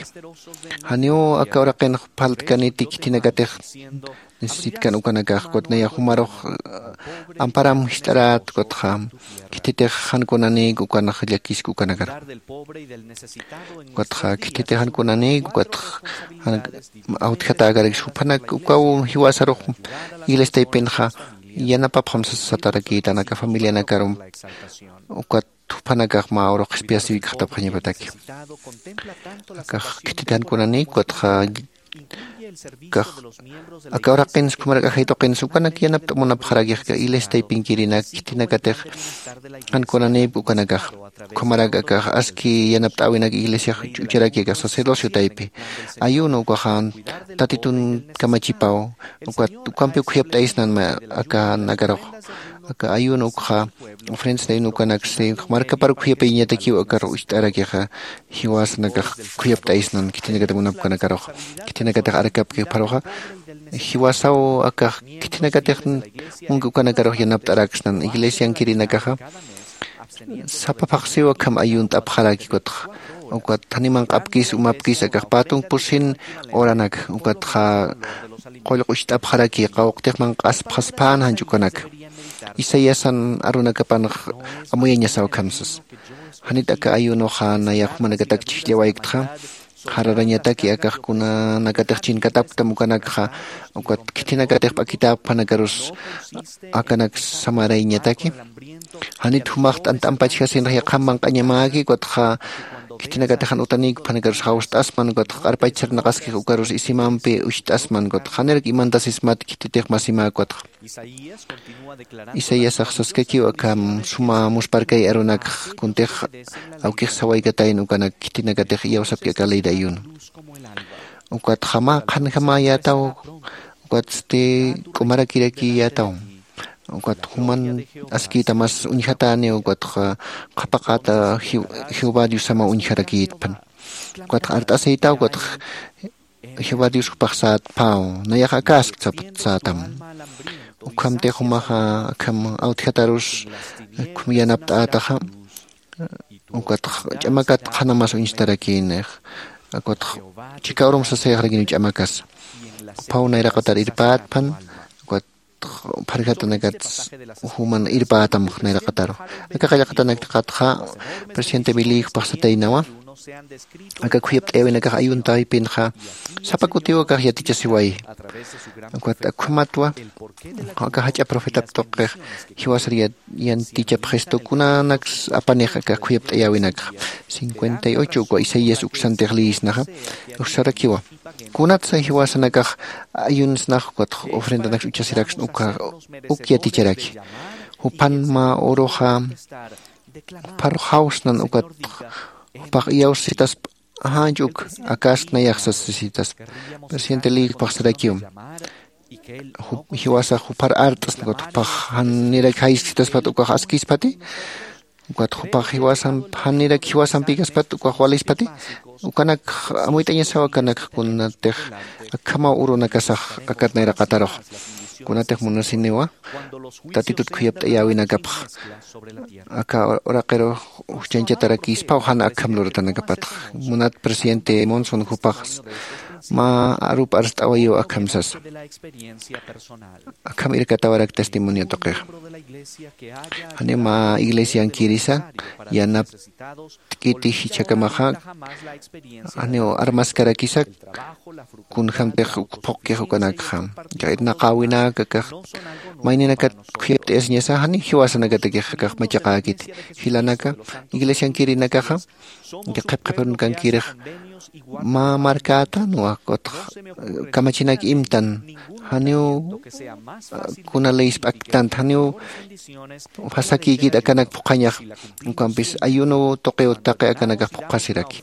janiw aka uraqinx phaltkaniti khithinakatix necesitkan ukanakax ukat nayax jumarux amparam jist'arät ukatxa khithitix jan kunanïk ukanx llakisk ukanakar ukatxa khithitix jan kunanïk ukatx awtjatäkarakis juphanak ukaw jiwasarux iglesia taypinxa yanapapxam satarakïtan aka familianakarum ukat juphanakax mä urux qhispiyasiwikxatapxañapataki akax khithit jan kunanïk ukatxa kax aka uraqinsa ukhamarak ajay tuqinsa ukanak yanapt'a munapxarakix aka iglesia taypinkirinak khithinakatix jan kunanïp ukanakax ukhamarak akax aski yanapt'äwinak iglesiax ucharaki akax sacerdocio taypi ayuno ukaxa tatitun kamachipaw ukat ukampiw khuyapt'aysnan akanakarux aka ayuno ukxa ofrendas de ayuno ukanaksi markapar khuyapayñatakiw akar ucht'arakixa jiwasanakax khuyapt'aysnan khithinakatix munapkanakarux khithinakatix arkapki jupharuxa jiwasaw akax khithinakatix munki ukanakarux yanapt'araksnan iglesiankirinakaxa sapa phaqsiw akham ayunt'apxaraki ukatxa ukat janiw manq'apkis umapkis akax pä tunk pusin horanak ukatxa qullq ucht'apxaraki qawqtix manq'aspxaspän janch ukanak isaiasan arunakapanx amuyañasaw akham sasa janit aka ayunoxa nayax jumanakatak chhijllawayktxa jararañataki akax kunanakatix chinkatapktam ukanakxa ukat khithinakatix p'akitäp juphanakarus akanak samarayñataki janit jumax t'ant'ampachjasinx yaqham manq'añamäki ukatxa khithinakatix jan utanïk juphanakarus jawst'asman ukatxa q'arpach sarnaqaskix ukarus isimampi ucht'asman ukatxa janirak imantasismat khithitix masimäk ukatxa isaiasax saskakiw akham suma musparkay arunakx kuntix awkix sawaykatayna ukanak khithinakatix iyawsapki aka ley de ayuno ukatxa mä qhanjamäyätaw ukatsti k'umarakirakiyätaw ukat juman askïta mas uñjatäniw ukatxa qhapaqäta jehová diosamaw uñjarakïtpan ukatxa art'asïtaw ukatxa jehová dios jupax sätpaw nayax akask saptsätam ukhamtix jumaxa akham awtjatarus ukham yanapt'ätaxa ukatx ch'amakat qhanamas uñstarakïnix ukatx chika urum sasayxarakïn ch'amakas juphaw nayraqatar irpätpan ukatx pharjatanakat juman irpätam nayraqataru aka qallqatanaktiqatxa presidente billy jupax sataynawa aka khuyapt'ayäwinakax ayuntaypinxa sapa kutiw akax yatichasiwayi ukat ukhamatwa aka jach'a profetap tuqix jiwasar yatichapxistu kunanaks apanix aka khuyapt'ayäwinakxa cincuenta y ocho uka isaías uksantix liyisnaxa uksarakiwa kunatsa jiwasanakax ayunsnax ukatx ofrendanaks uchasiraksna uka uk yaticharaki jupan mä uruxa juparux jawsnan ukat jupax iyawsasitaspa janch uk akask nayax sasasitaspa presidente liyik jupax sarakiw jiwasax jupar art'asna ukat jupax janirak jaysitaspat ukax askispati ukat jupax jiwasan janirak jiwasampikaspat ukax walispati ukanak amuyt'añasaw akanakx kunatix akhamaw urunakasax akat nayraqatarux kunatix munasiniwa tatitut khuyapt'ayäwinakapx aka uraqirux ujchañchatarakïspaw jan akham luratanakapatx munat presidente monson jupax mä arup arst'awayiw akham sasa akham irkatawarak testimonio tuqix janiw mä iglesiankirisa yanap t'kiti jichhakamaxa janiw armaskarakisa kunjämtix uk phuqkix ukanakxa irnaqäwinak akax mayninakat khuyapt'ayasiñasa janiw jiwasanakatakix akax machaqäkiti jilanaka iglesiankirinakaxa qhipqhipirunkankirix mä markätanwa kutx kamachinak imtan. Janiw kuna leysp'aktant janiw fasakïkit akanak phuqhañax. Ukampis ayuno tuqiw taqi akanakax phuqhasiraki.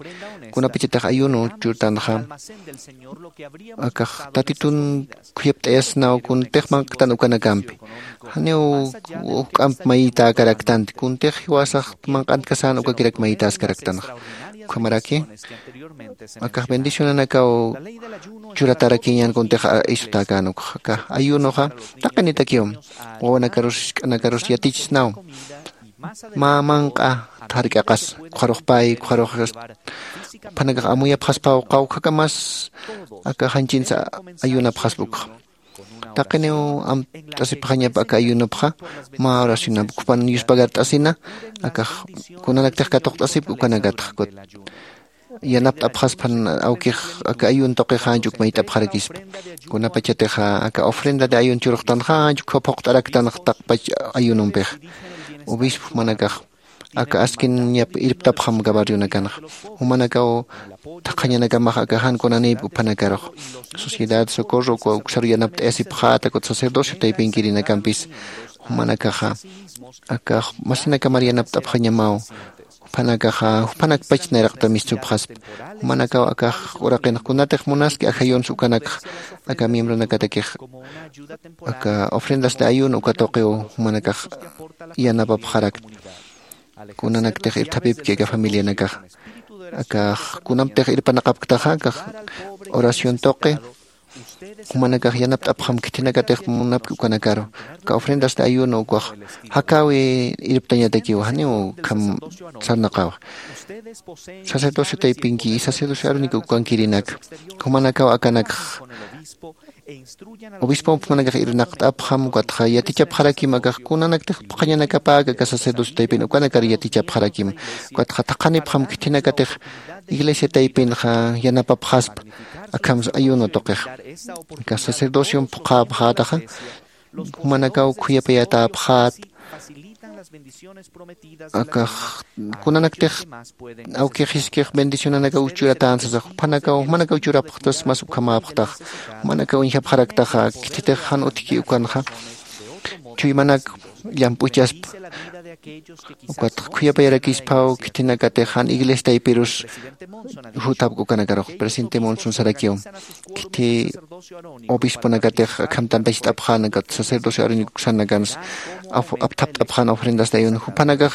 Kunapachatix ayuno churtanxa akax tatitun khuyapt'ayasnaw kuntix manq'tan ukanakampi. Janiw juk'amp mayïtäkaraktanti kuntix jiwasax manq'antkasan ukakirak mayïtäskaraktanxa. Ukhamaraki akax bendicionanakaw churatarakiñan kuntix isutäkän ukxa akax ayunoxa taqinitakiw wawanakarus jisk'anakarus yatichisnaw mä manq'a thark'aqas ukxarux pay ukxarux juphanakax amuyapxaspaw qawkhakamas aka janchinsa ayunapxaspa ukxa. Taqiniw amt'asipxañap aka ayunupxa mä oracionap ukhupan yuspagart'asina akax kunanaktix katuqt'asipki ukanakatxa kut yanapt'apxaspan awkix aka ayun tuqix janch uk mayt'apxarakispa. Kunapachatixa aka ofrenda de ayun churuxtanxa janch ukha phuqt'araktanx taqpach ayunumpix. Obispo jumanakax aka askin ñap irptapxam gabarrionakanxa jumanakaw thaqhañanakamax aka jan kunanïp uphanakarux sociedad socorro uksaru yanapt'ayasipxäta kut sacerdocio taypinkirïnakampis jumanakaxa aka masinakamar yanapt'apxañamaw. Juphanakaxa juphanakpach nayraqta mistsupxaspa. Jumanakaw akax uraqinx kunatix munaski ajayunsa ukanakxa aka miembronakatakix aka ofrendas de ayuno uka tuqiw jumanakax yanapapxarakta. Kunanaktix irthapipki aka familianakaxa akax kunamtix irpanaqapktaxa akax oración tuqi jumanakax yanapt'apxam khithinakatix munapki ukanakaru aka ofrendas de ayuno ukax jakäwi irptañatakiw janiw ukham sarnaqawa. Sacerdocio taypinki sacerdocio arónico ukankirinak jumanakaw akanakx obispomp jumanakax irnaqt'apxam ukatxa yatichapxarakim akax kunanaktix phuqhañanakapäk aka sacerdocio taypin ukanakar yatichapxarakim ukatxa thaqhanipxam khithinakatix iglesia taypinxa yanapapxaspa. Akhams ayuno tuqix aka sacerdociom phuqhäpxätaxa jumanakaw khuyapayatäpxät. Akax kunanaktix awkix jiskix bendicionanakaw churatän sasa juphanakaw jumanakaw churapxtas mas ukhamäpxtax jumanakaw uñjapxaraktaxa khithitix jan utjki ukanxa chuymanak llamp'uchaspa. Ukatx khuyapayarakisphaw khithinakatix jan iglesia taypirus juthapk ukanakarux presidente monson sarakiw khithi obisponakatix akham tantacht'apxän ukat sacerdocio arónico uksanakans apthapt'apxän ofrendas de ayuno juphanakax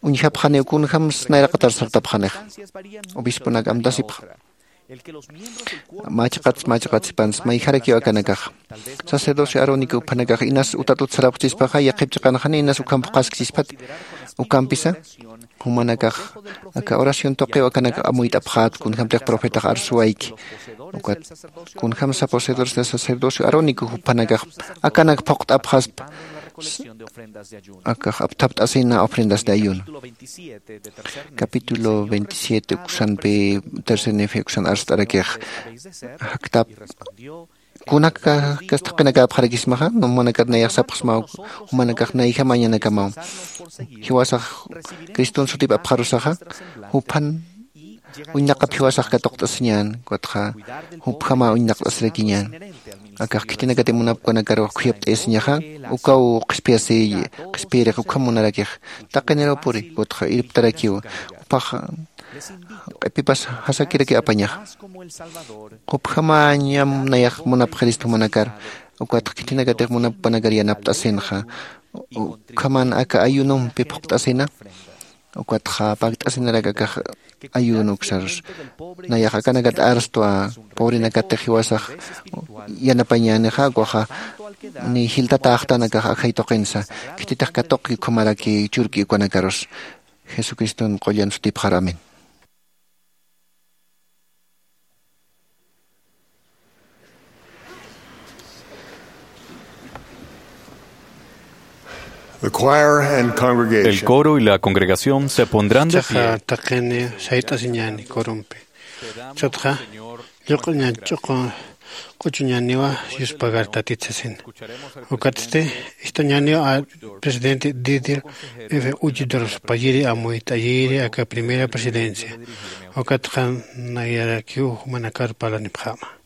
uñjapxaniw kunjams nayraqatar sartapxanix. Obisponak amtasipxa machqats machqatsipans mayjarakiw akanakaxa sacerdocio arónico juphanakax inas utat utsarapxchispaxa yaqhip chiqanxani inas ukham phuqhaskchispati ukampisa jumanakax aka oración tuqiw akanakax amuyt'apxät kunjämtix profetax arsuwayki ukat kunjämsa poseedores de sacerdocio arónico juphanakax akanak phuqt'apxaspa. Akax apthapt'asina ofrendas de ayuno capítulo veintisiete uksanpi tercer nefe uksan arst'arakix jaktap kunaka kastaqinakäpxarakismaxa jumanakat nayax sapxsmaw jumanakax nayjamañanakamaw jiwasax criston sutip apxarusaxa juphan uñnaqap jiwasax katuqt'asiñän ukatxa jupjama uñnaqt'asirakiñän. Akax khitinakati munapkanakarux khuyapt'ayasiñaxa ukaw qhispiyasiy qhispiyirix ukham munarakix taqinirupuri ukatxa irptarakiw jupax q'ipipas jasakiraki apañaxa jupjamañam nayax munapxirista jumanakar ukatxa khitinakatix munapkanakarï yanapt'asinxa ukhaman aka ayunompi phuqt'asina ukatxa pakt'asinarak akax ayuno uksarus nayax akanakat arstwa pobrenakatix jiwasax yanapañänixa ukwaxa ni jiltatäxtan akax ajay tuqinsa khititix katuqki ukhamaraki churki ukanakarus jesucriston qullan sutipxar amén. El coro y la congregación se pondrán de pie. Taqini sayt'asiñäni corompi chutxa lluq'uñan ch'uqu q'uchuñaniwa yuspagar tatit sasina. Ukatsti ist'añaniw a presidente Didier F. Uchidoros payiri amuyt'ayiri aka primera presidencia. Ukatxa nayarakiw jumanakar parlanipxäma.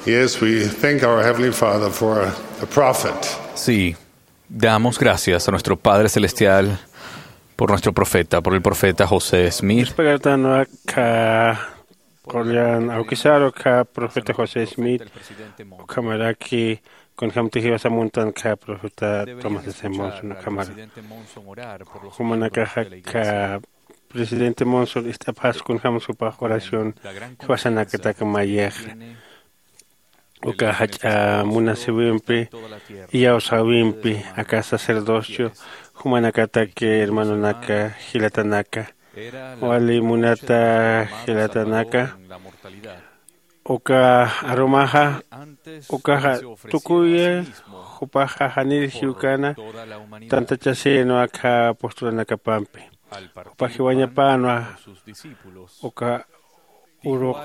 Yes, we thank our Heavenly Father for the prophet. Sí, damos gracias a nuestro Padre Celestial por nuestro profeta, por el profeta José Smith. Yuspagartanwa ka qullan awkisaru ka profeta José Smith, ukhamaraki kunjamtix jiwasamuntan ka profeta Thomas S. Monson ukhamara. Jumanakaxa ka presidente Monson ist'apxas kunjämsa jupax oración jiwasanakatak mayixa. Uka jach'a munasiwimpi, iyawsäwimpi, aka sacerdocio, jumanakatak hermanonaka, jilatanaka, wali munata jilatanaka, uka arumaxa, ukaxa tukuy jupaxa janir jiwkana tantachasïnwa akha apostolanakapampi. Jupax jiwañapänwa uka uruq.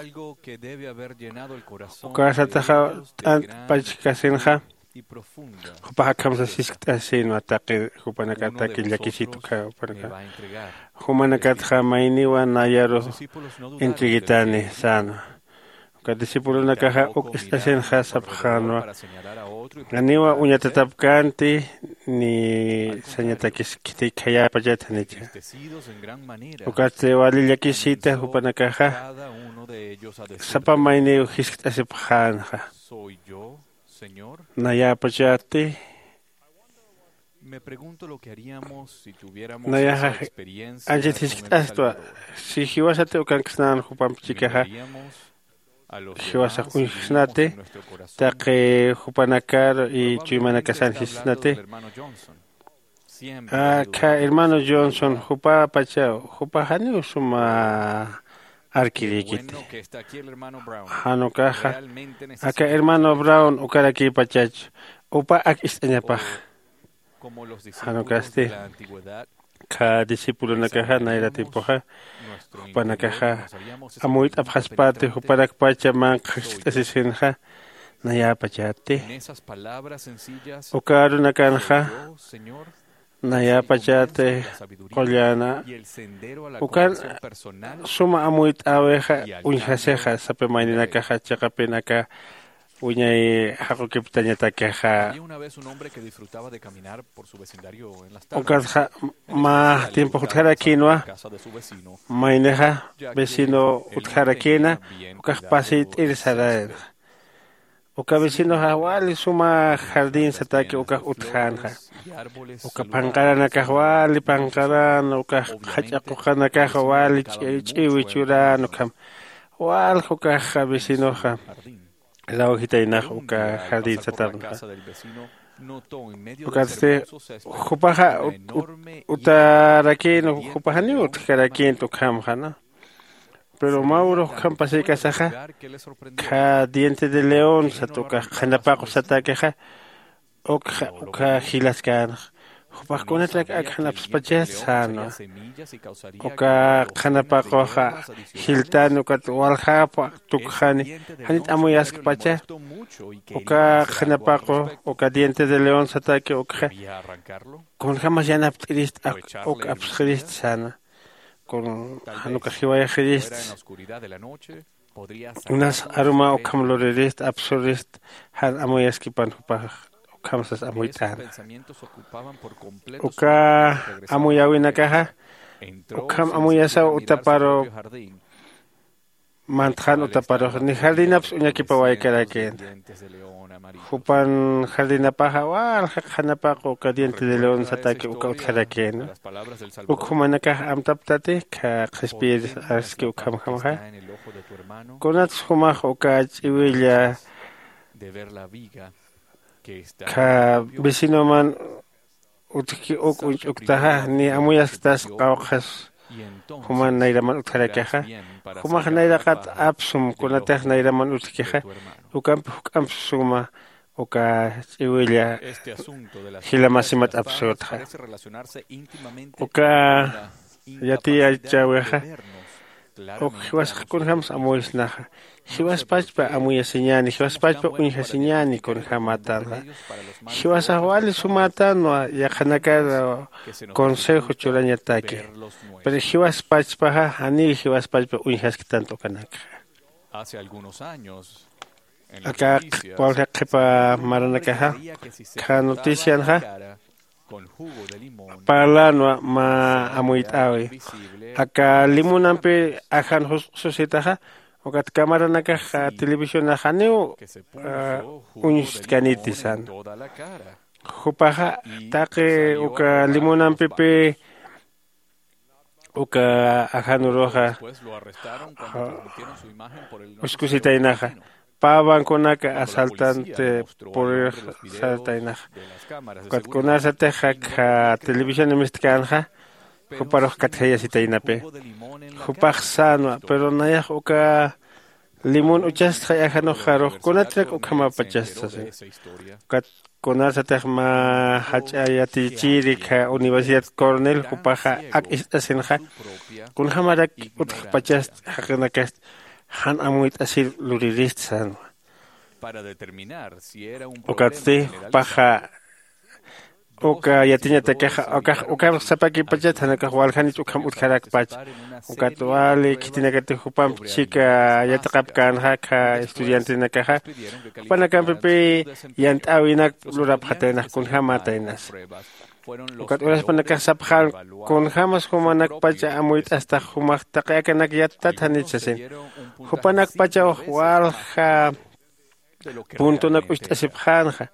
Ukasataxa t'ant pachkasinxa, jupax akham sasiskt'asïnwa taqi jupanakataki llakisitu kha jupanaka. Jumanakatxa mayniwa nayaru entreguitani sänwa. Uka discipulonakaxa uk ist'asinxa sapxänwa, janiwa uñatatapkänti ni sañatakis khitïk khayäpachat janicha. Ukatsti wali llakisita jupanakaxa sapa mayniw jiskt'asipxänxa. Nayäpachäti nayaxa anchit jiskt'astwa. Si jiwasati ukanksnän jupamp chikaxa jiwasax uñjsnati taqi jupanakar y chuymanakasan jisnati. Akha hermano johnson jupapachaw jupa janiw suma arkirïkiti. Jan ukaxa aka hermano brown ukarakïpachach upa ak ist'añapax. Jan ukasti kha discipulonakaxa nayra tiempoxa jupanakaxa amuyt'apxaspäti jupanakpacha manqha jiskt'asisinxa. Nayäpachäti uka arunakanxa nayäpachäti qulläna ukan suma amuyt'äwixa uñjasixa sapa mayninakaxa chiqapin aka wiñay jaqukiptañatakixa. Ukatxa mä tiempox utjarakïnwa maynixa vecino utjarakïna ukax pasiyt'ir saränxa. Uka vecinoxa wali suma jardín satäki ukax utjänxa. Uka phanqaranakax wali phanqaran ukax jach'a quqanakax wali ch'iwi ch'üran ukham walja ukax vecinoxa lawjitaynax uka jardín satarnaxa. Ukatsti jupaxa utarakïn jupaxaniw utjkarakïnta ukhamxana. Pero mä urux ukham pasïkasaxa kha diente de león sat ukax qhanapaqu satäkixa ukxa ukha jilaskänxa. Jupax kunatrak ak janapspachast sänwa. Uka qhanapaqux jiltani ukat waljapa tukxani janit amuyaskpacha. Uka qhanapaqu uka diente de león satäki ukxa kunjämas yanapt'irist ak uk apsxirist säna. Kun jan ukax jiwayxirist unas aruma ukham luririst apsurist jan amuyaskipan jupax. Ukham sas amuyt'äna uka amuyäwinakaxa ukham amuyasaw utaparu mantxan utaparux ni jardinaps uñakipawaykarakïna. Jupan jardinapaxa walja qhanapaqu uka diente de león satäki uka utjarakïna. Uk jumanakax amtaptati kha qhispiyir aski ukhamjamxa kunats jumax uka ch'iwilla kha vecinoman utjki uk uñch'uktaxa ni amuyasktas qawqhas juman nayraman utjarakixa. Jumax nayraqat apsum kunatix nayraman utjkixa ukampi juk'amp suma uka ch'iwilla jilamasimat apsütxa. Uka yatiyachäwixa uk jiwasax kunjämsa amuysnaxa. Jiwaspachpa amuyasiñäni jiwaspachpa uñjasiñäni kunjämätanxa. Jiwasax wali sumätanwa yaqhanakar consejo churañataki. Pero jiwaspachpaxa janiw jiwaspachpa uñjasktant ukanakxa. Aka walja qhipa maranakaxa kha noticianxa parlänwa mä amuyt'äwi aka limonampi ajan jusq'susitaxa. Ukat camaranakax televisionax janiw uñstkaniti san. Jupaxa taqi uka limonampipi uka ajanuruxa uskusitaynaxa pä banconaka asaltante purir sartaynaxa. Ukat kunasatix akha televisión mistkanxa juparux katjayasitaynapi. Jupax sänwa pero nayax uka limón uchastxay ajanuxarux kunatrak ukhamapachasta sasina. Ukat kunasatix mä jach'a yatichiri kha universidad cornel jupaxa ak ist'asinxa kunjämarak utjpachast jaqinakast jan amuyt'asir luririst sänwa. Ukatsti jupaxa Uka yatiñatakixa ukax ukham sapakipachat janakax waljanich ukham utjarakpach. Ukat wali khitinakatix jupamp chika yatiqapkänxa kha estudiantenakaxa, jupanakampipi yant'äwinak lurapxataynax kunjämätaynasa. Ukat uraspanakax sapxän, kunjämas jumanakpacha amuyt'astax jumax taqi akanak yattat janit sasin. Jupanakpachaw walja puntonak ucht'asipxänxa.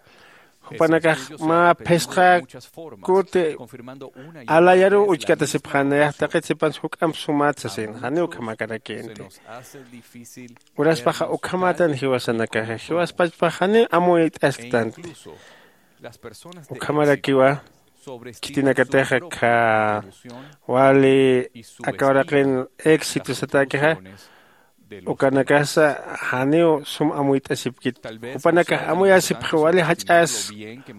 Jupanakax mä phisqa kuti alayaruw uchkatasipxän nayax taqit sipans juk'amp sumat sasin janiw ukhamäkarakïnti. Uraspaxa ukhamätan jiwasanakaxa jiwaspachpax janiw amuyt'asktanti. Ukhamarakiwa khitinakatixa kha wali aka uraqin éxito satäkixa ukanakasa janiw sum amuyt'asipkit. Jupanakax amuyasipxi wali jach'as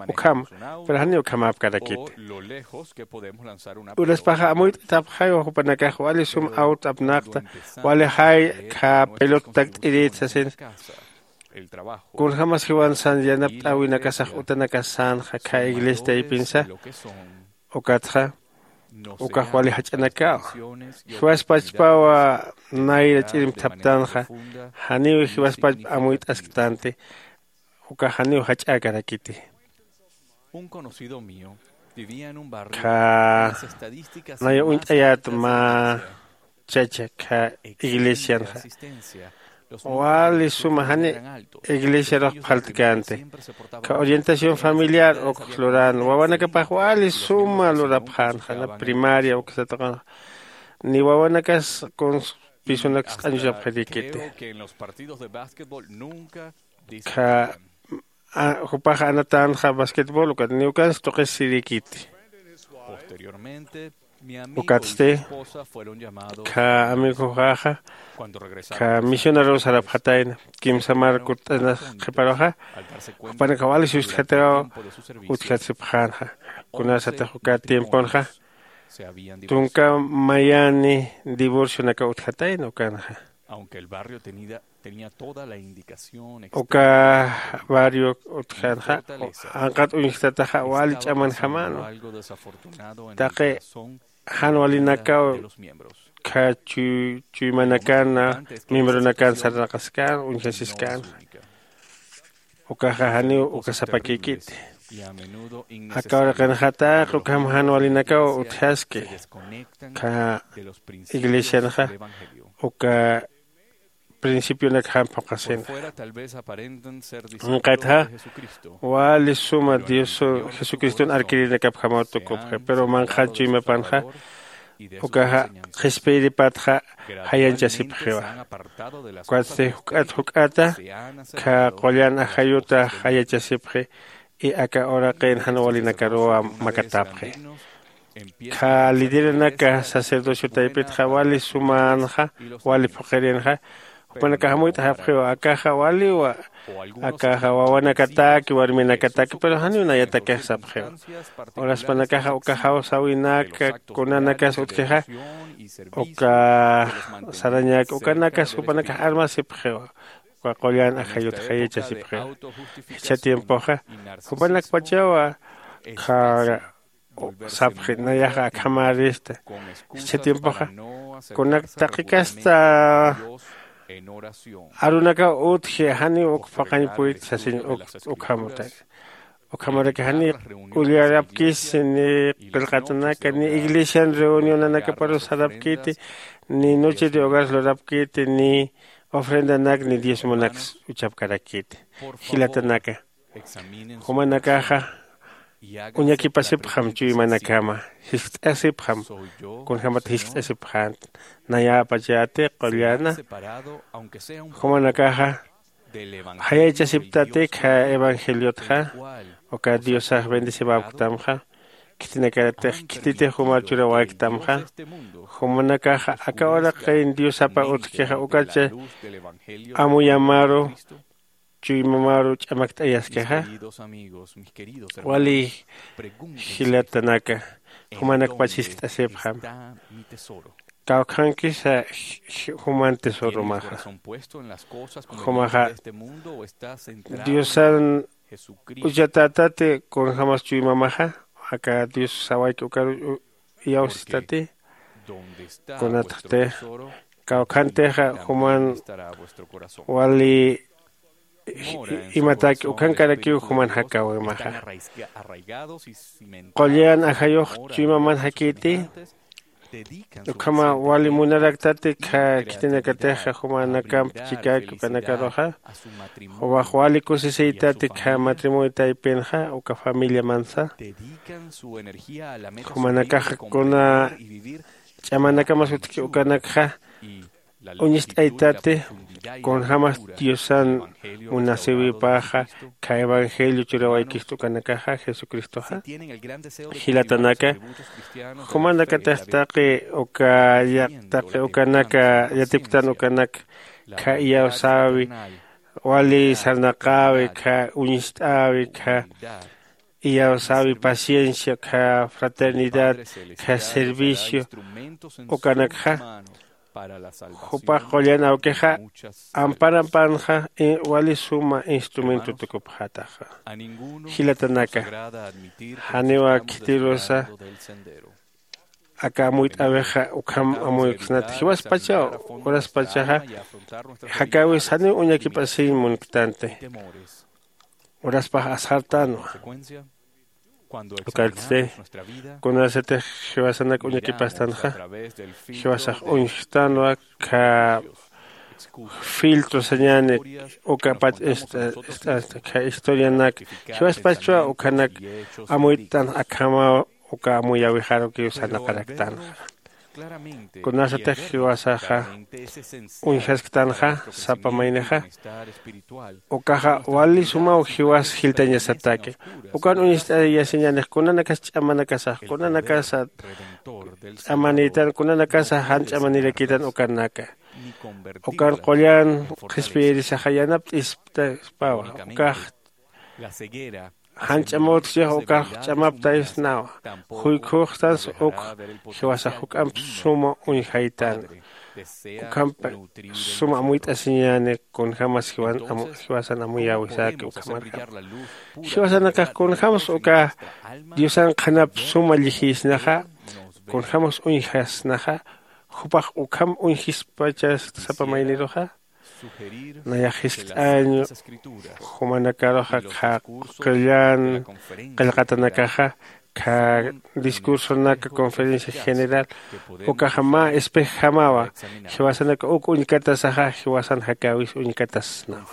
ukhama, pero janiw ukhamäpkarakiti. Uraspaxa amuyt'atapxaywa jupanakax wali sum awt apnaqta, wali jay kha pelot takt'irit sasin. Kunjämas jiwansan yanapt'äwinakasax utanakas sänxa kha iglesia taypinsa. Ukatxa ukax wali jach'anakaw jiwaspachpawa nayra ch'irimthaptanxa. Janiw jiwaspachp amuyt'asktanti. Ukax janiw jach'äkarakiti. Kha naya uñt'ayät mä chacha kha iglesianxa wali suma jani iglesiarux phaltkänti. Kha orientación familiar ukx lurän wawanakapax wali suma lurapxänxa na primaria uksa tuqunxa. Ni wawanakas kuns pisunaks q'añuchapxirïkiti. Kha jupax anatänxa basquetbol ukat niwkans tuqisirïkiti. Ukatsti kha amigoxaxa kha misionaruw sarapxatayna. Kimsa mar kutt'anas qhiparuxa jupanakax wali sustjataw utjasipxänxa. Kunasatix uka tiemponxa tunka mayani divorcionakaw utjatayna ukanxa. Uka barrio utjänxa anqat uñjtataxa wali ch'amanjamänwa. Taqi jan walinakaw kha chuymanakan miembronakan sarnaqaskän uñjasiskänxa. Ukaxa janiw uka sapakïkiti. Aka uraqinxa taqi ukham jan walinakaw utjaski kha iglesianxa uka principionakjam phuqhasinxa. Anqatxa wali suma dios jesucriston arkirinakapjamaw tukupxi pero manqhan chuymapanxa ukaxa qhispiyiripatxa jayanchasipxiwa. Ukatsti juk'at juk'ata kha qullan ajayutax jayachasipxi. Y aka uraqin jan walinakaruwa makatapxi. Kha lideranaka sacerdocio taypitxa wali sumänxa wali phuqirinxa jupanakax amuyt'ajapxiwa akaxa waliwa. Akaxa wawanakataki warminakataki pero janiw nayatakix sapxiwa. Uraspanakaxa uka jawsäwinaka kunanakas utjixa uka sarañak ukanakas jupanakax armasipxiwa. Uka qullan ajayut jayachasipxiwa. Jichha tiempoxa jupanakpachawa qha sapxi nayaxa akhamärista. Jichha tiempoxa kunak taqikasta arunakaw utji janiw uk phuqañ puyt sasiñ uk ukhamutak. Ukhamaraki janiw ullarapkisi ni qillqatanaka ni iglesian reunionanakaparus sarapkiti ni noche de hogares lurapkiti ni ofrendanak ni diezmonaks uchapkarakiti. Jilatanaka jumanakaxa uñakipasipxam chuymanakama jiskt'asipxam. Kunjämat jiskt'asipxänti nayäpachäti qullana jumanakaxa jayaychasiptati kha evangeliotxa. Uka diosax bendecibäpktamxa khitinakatix khititix jumar churawäktamxa. Jumanakaxa aka uraqin diosapa utjkixa ukacha amuyamaru chuymamaru ch'amakt'ayaskixa. Wali jilatanaka jumanakpach jiskt'asipxam. Kawkhankisa juman tesoromaxa jumaxa diosan uchatätati kunjämas chuymamaxa aka dios sawayki ukar iyawsistati. Kunatxti kawkhantixa juman wali imataki ukhankarakiw juman jakäwimaxa. Qullan ajayux chuymaman jakïti ukhama wali munaraktati kha khitinakatixa jumanakamp chikäki ukanakaruxa. Jumax wali kusisiytati kha matrimonio taypinxa uka familiamansa. Jumanakaxa kuna ch'amanakamas utjki ukanakxa uñist'aytati kunjämas diosan munasïwipaxa kha evangelio churawaykistu ukanakaxa jesucristoxa. Jilatanaka jumanakatix taqi uka taqi ukanaka yatipktan ukanak kha iyawsäwi wali sarnaqäwi kha uñist'äwi kha iyawsäwi paciencia kha fraternidad kha servicio ukanakxa. Jupax qullan awkixa amparampanxa wali suma instrumento tukupxataxa. Jilatanaka janiwa khitirusa aka amuyt'äwixa ukham amuyksnati jiwaspachaw uraspachaxa jakäwis janiw uñakip'asiñ munktanti. Uraspax asxartänwa ukartsti kunasatix jiwasanak uñakipastanxa jiwasax uñjtanwa kha filtro sañäni ukapach ist'asta kha historianak jiwaspachwa ukhanak amuyt'tan akhamaw uka amuyäwixarukiw sarnaqaraktanxa. Kunasatix jiwasaxa uñjasktanxa sapa maynixa ukaxa wali sumaw jiwas jiltañasataki. Ukan uñist'ayasiñänix kunanakas ch'amanakasax kunanakasa ch'amanïtan kunanakasa jan ch'amanirakitan ukanaka ukan qullan qhispiyirisaxa yanapt'ispawa ukax jan ch'amawtjchix ukax ch'amaptaysnawa. Juykhuxtans ukx jiwasax juk'amp suma uñjaytana. Ukhamp suma amuyt'asiñäni kunjämas jiwasan amuyäwisäki ukhamarjama. Jiwasanakax kunjämsa uka diosan qhanap suma llijïsnaxa kunjämsa uñjasnaxa jupax ukham uñjispachast sapa mayniruxa. Nayax jiskt'añ jumanakaruxa kha qullan qillqatanakaxa kha discursonak conferencia general ukaxa mä espejjamawa. Jiwasanaka uk uñkatasaxa jiwasan jakäwis uñkatasnawa.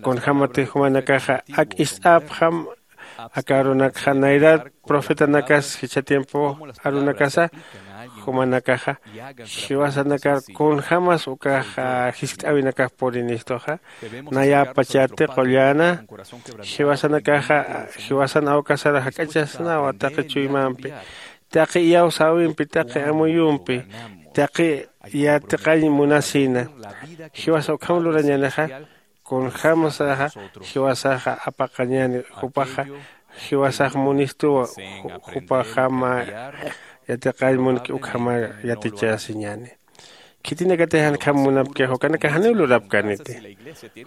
Kunjämatix jumanakaxa ak ist'äpxam aka arunakxa nayrat profetanakas jichha tiempo arunakasa jumanakaxa jiwasanakar kunjämas ukax jiskt'äwinakax purinistuxa. Nayäpachati qullana jiwasanakaxa jiwasan awkasar jak'achasnawa taqi chuymampi taqi iyawsäwimpi taqi amuyumpi taqi yatiqañ munasïna. Jiwasa ukham lurañänixa kunjämsaxa jiwasaxa apaqañäni jupaxa jiwasax munistuwa. Jupaxama yatiqañ munki ukhamar yatichasiñäni. Khitinakatix jankham munapkix ukanakax janiw lurapkäniti.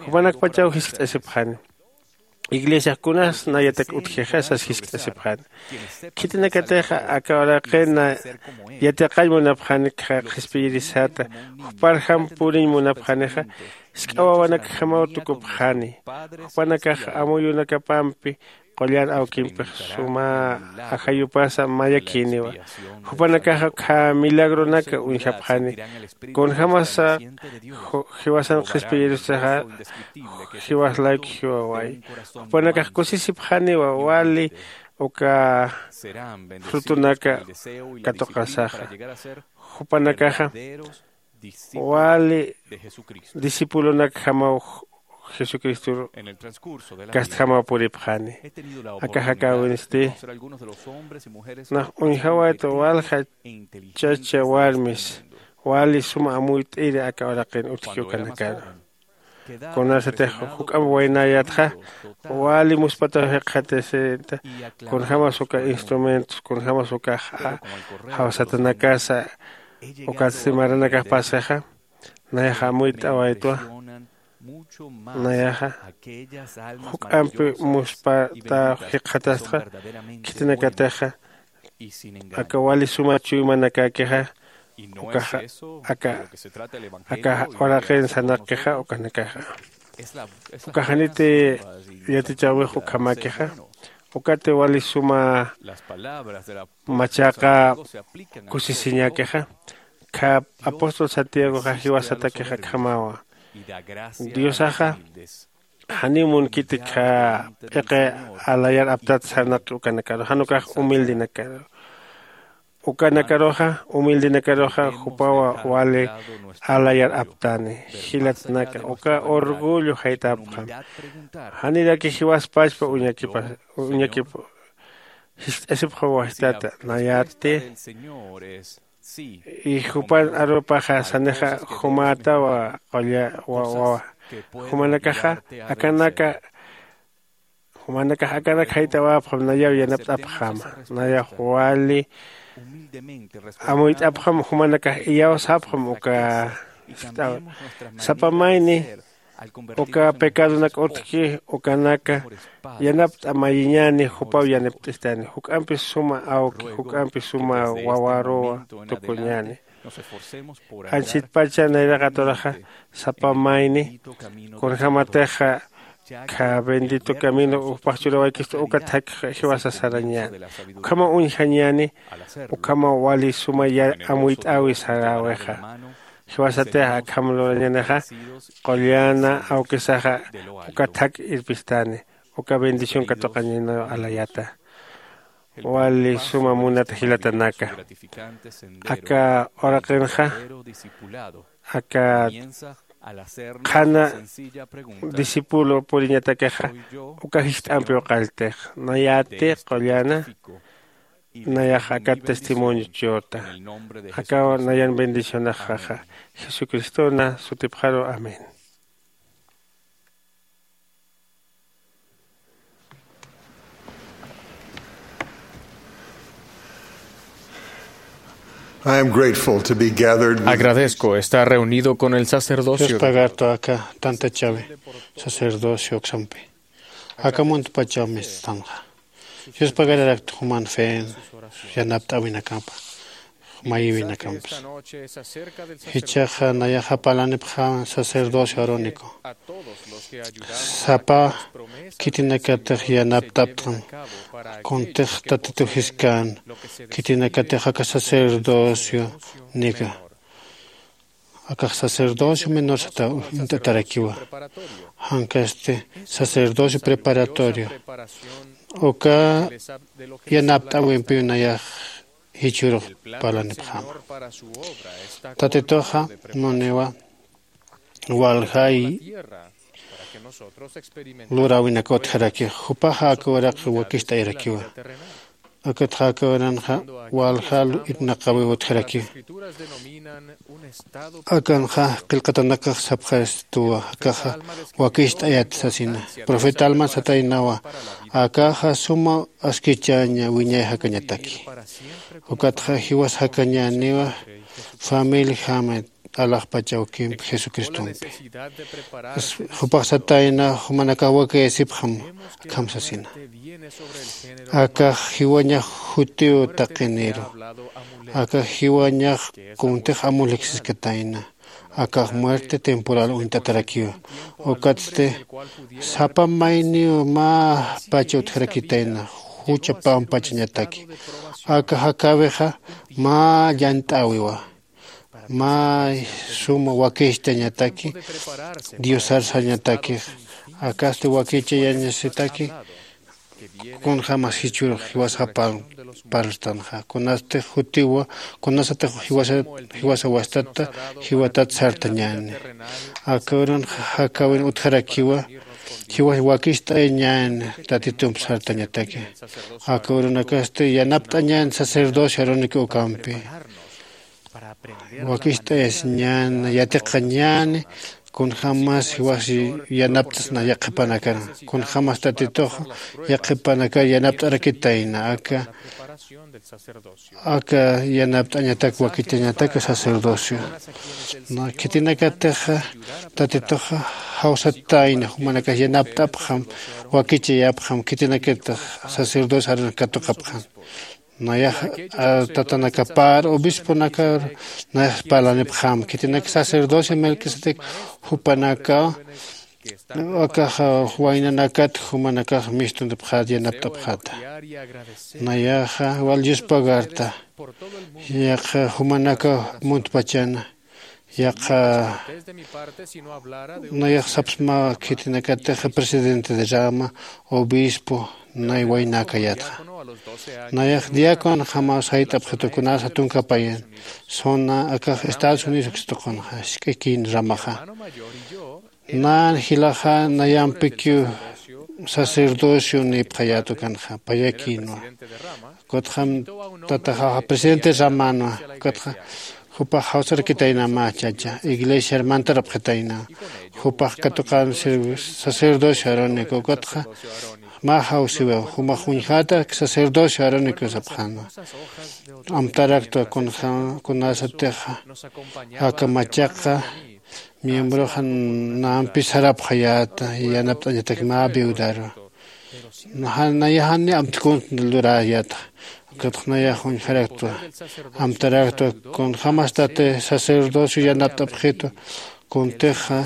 Jupanakpachaw jiskt'asipxani iglesiax kunas nayatak utjixa sas jiskt'asipxani. Khitinakatixa aka uraqin yatiqañ munapxani qhispiyirisata juparjam puriñ munapxanixa. Jisk'a wawanakjamaw tukupxani jupanakax amuyunakapampi qullan awkimpix suma ajayupasa mayakïniwa. Jupanakaxa ukkha milagronaka uñjapxani kunjämasa jiwasan qhispiyirusaxa jiwas layku jiwaway. Jupanakax kusisipxaniwa wali uka frutunaka katuqasaxa. Jupanakaxa wali discipulonakjamaw jesucristor kastjamaw puripxani. Aka jakäwinsti nax uñjawayta walja chacha warmis wali suma amuyt'iri aka uraqin utjki ukanakaru. Kunasatix juk'amp waynayatxa wali muspataw jikxatasita kunjämas uka instrumentos kunjämas ukax jawsatanakasa ukatsti maranakax pasaxa. Nayax amuyt'awaytwa Nayaxa juk'ampi muspata jikxatastxa khitinakatixa aka wali suma chuymanakäkixa ukaxa aka aka uraqin sanaqixa ukanakaxa uka janiti yatichäwix ukhamakixa ukati wali suma machaqa kusisiñäkixa kha apóstol santiagoxa jiwasatakixa akhamawa diosaxa janiw munkiti kha p'iqi alayar aptat sarnaqi ukanakaru jan ukax humildenakaru ukanakaruxa humildenakaruxa jupawa wali alayar aptani jilatnaka uka orgullo jaytapxam janiraki jiwaspachpa uñakipa uñakipa jist'asipxaw wajtata nayati y jupan arupaxa sanixa jumätawa qulla wawa jumanakaxa akanaka jumanakax akanak jayt'awäpxam nayaw yanapt'apxama nayax wali amuyt'apxam jumanakax iyawsapxam uka sapa mayni uka pecadonak utjki ukanaka yanapt'a mayiñäni jupaw yanapt'istani juk'ampi suma awki juk'ampi suma wawaruwa tukuñäni anchitpacha nayraqaturaxa sapa mayni kunjämatixa kha bendito camino upax churawaykistu uka thakxa jiwasa sarañäni ukhamaw uñjañäni ukhamaw wali suma amuyt'äwi saräwixa jiwasatixa akham lurañänixa qullana awkisaxa uka thak irpistani uka bendición katuqañäni alayata wali suma munat jilatanaka aka uraqinxa aka qhana discípulo puriñatakixa uka jist'ampiw qalltix nayäti qullana nayax aka testimonio churta akaw nayan bendicionaxaxa jesucristona sutipxaru amén. I am grateful to be gathered with Agradezco estar reunido con el sacerdocio. Dios pagarto aka tanta chave sacerdocio oksampi aka muntpachaw mistanxa. Dios pagararakta juman fen yanapt'awinakampa mayïwinakampas. Jichhaxa nayaxa parlanipxam sacerdocio arónico sapa khitinakatix yanapt'aptxam kuntix tatituw jiskän khitinakatix aka sacerdocio nika akax sacerdocio menor sata uñt'atarakiwa jankasti sacerdocio preparatorio uka yanapt'äwimpiw nayax jichhürux parlanipxäma. Tatituxa muniwa waljay luräwinaka utjaraki jupaxa aka uraq wakicht'ayarakiwa. Akatxa aka uranxa walja irnaqäwiw utjaraki akanxa qillqatanakax sapxastuwa akaxa wakicht'ayat sasina profeta alman sataynawa. Akaxa suma askichaña wiñay jakañataki ukatxa jiwas jakañäniwa. Familia jamet alaxpach awkimpi jesucristompi jupax satayna jumanakax wakayasipxam akham sasina. Akax jiwañax jutiw taqiniru akax jiwañax kuntix amuliksiskatayna. Akax muerte temporal uñt'atarakiwa ukatsti sapa mayniw mä pacha utjarakitayna jucha pampachañataki. Aka jakäwixa mä llant'äwiwa mä suma wakicht'añataki diosar sañatakix akasti wakichayañasitaki. Kunjämas jichhürux jiwasa parltanxa kunasti jutiwa kunasatix jiwasa wastata jiwatat sartañäni. Aka uranxa jakäwin utjarakiwa jiwas wakicht'ayañäni tatitump sartañataki. Aka uranakasti yanapt'añäni sacerdocio arónico ukampi wakicht'ayasiñäni yatiqañäni. Kunjämas jiwas yanapt'asna yaqhipanakar kunjämas tatitux yaqhipanakar yanapt'arakitayna aka aka yanapt'añatak wakichañatak sacerdocio. Khitinakatix tatituxa jawsatayna jumanakax yanapt'apxam, wakichayapxam khitinakatix sacerdocio aran katuqapxam. Nayax tatanakapar obisponakar nayax parlanipxam khitinak sacerdocio Melquisedec jupanaka akax waynanakat jumanakax mistuntipxat yanapt'apxata. Nayaxa wal yuspagarta yaq jumanaka muntpachana yaq nayax sapsma khitinakatix presidente de rama obispo nay waynakayatxa. Nayax diaconjamaw sayt'apxitu kunas jatunkapayan zona akax estados unidos ukstuqunxa isk'akin ramaxa. Nan jilaxa nayampikiw sacerdocio nipxayätu kanxa payakïnwa. Ukatxam tataxaxa presidente ramanwa. Ukatxa jupax jawsarakitayna mä chacha iglesiar mantarapxitayna. Jupax katuqan sacerdocio arónico ukatxa mä jawsiwiw jumax uñjäta sacerdocio arónico sapxänwa. Amtaraktwa kunasatixa aka machaqa miembroxa nampi sarapxayäta yanapt'añatak mä viudaru. Nayaxani amtkunt luräyäta. Ukatxa nayax uñjaraktwa amtaraktwa kunjämas tati sacerdocio yanapt'apxitu kuntixa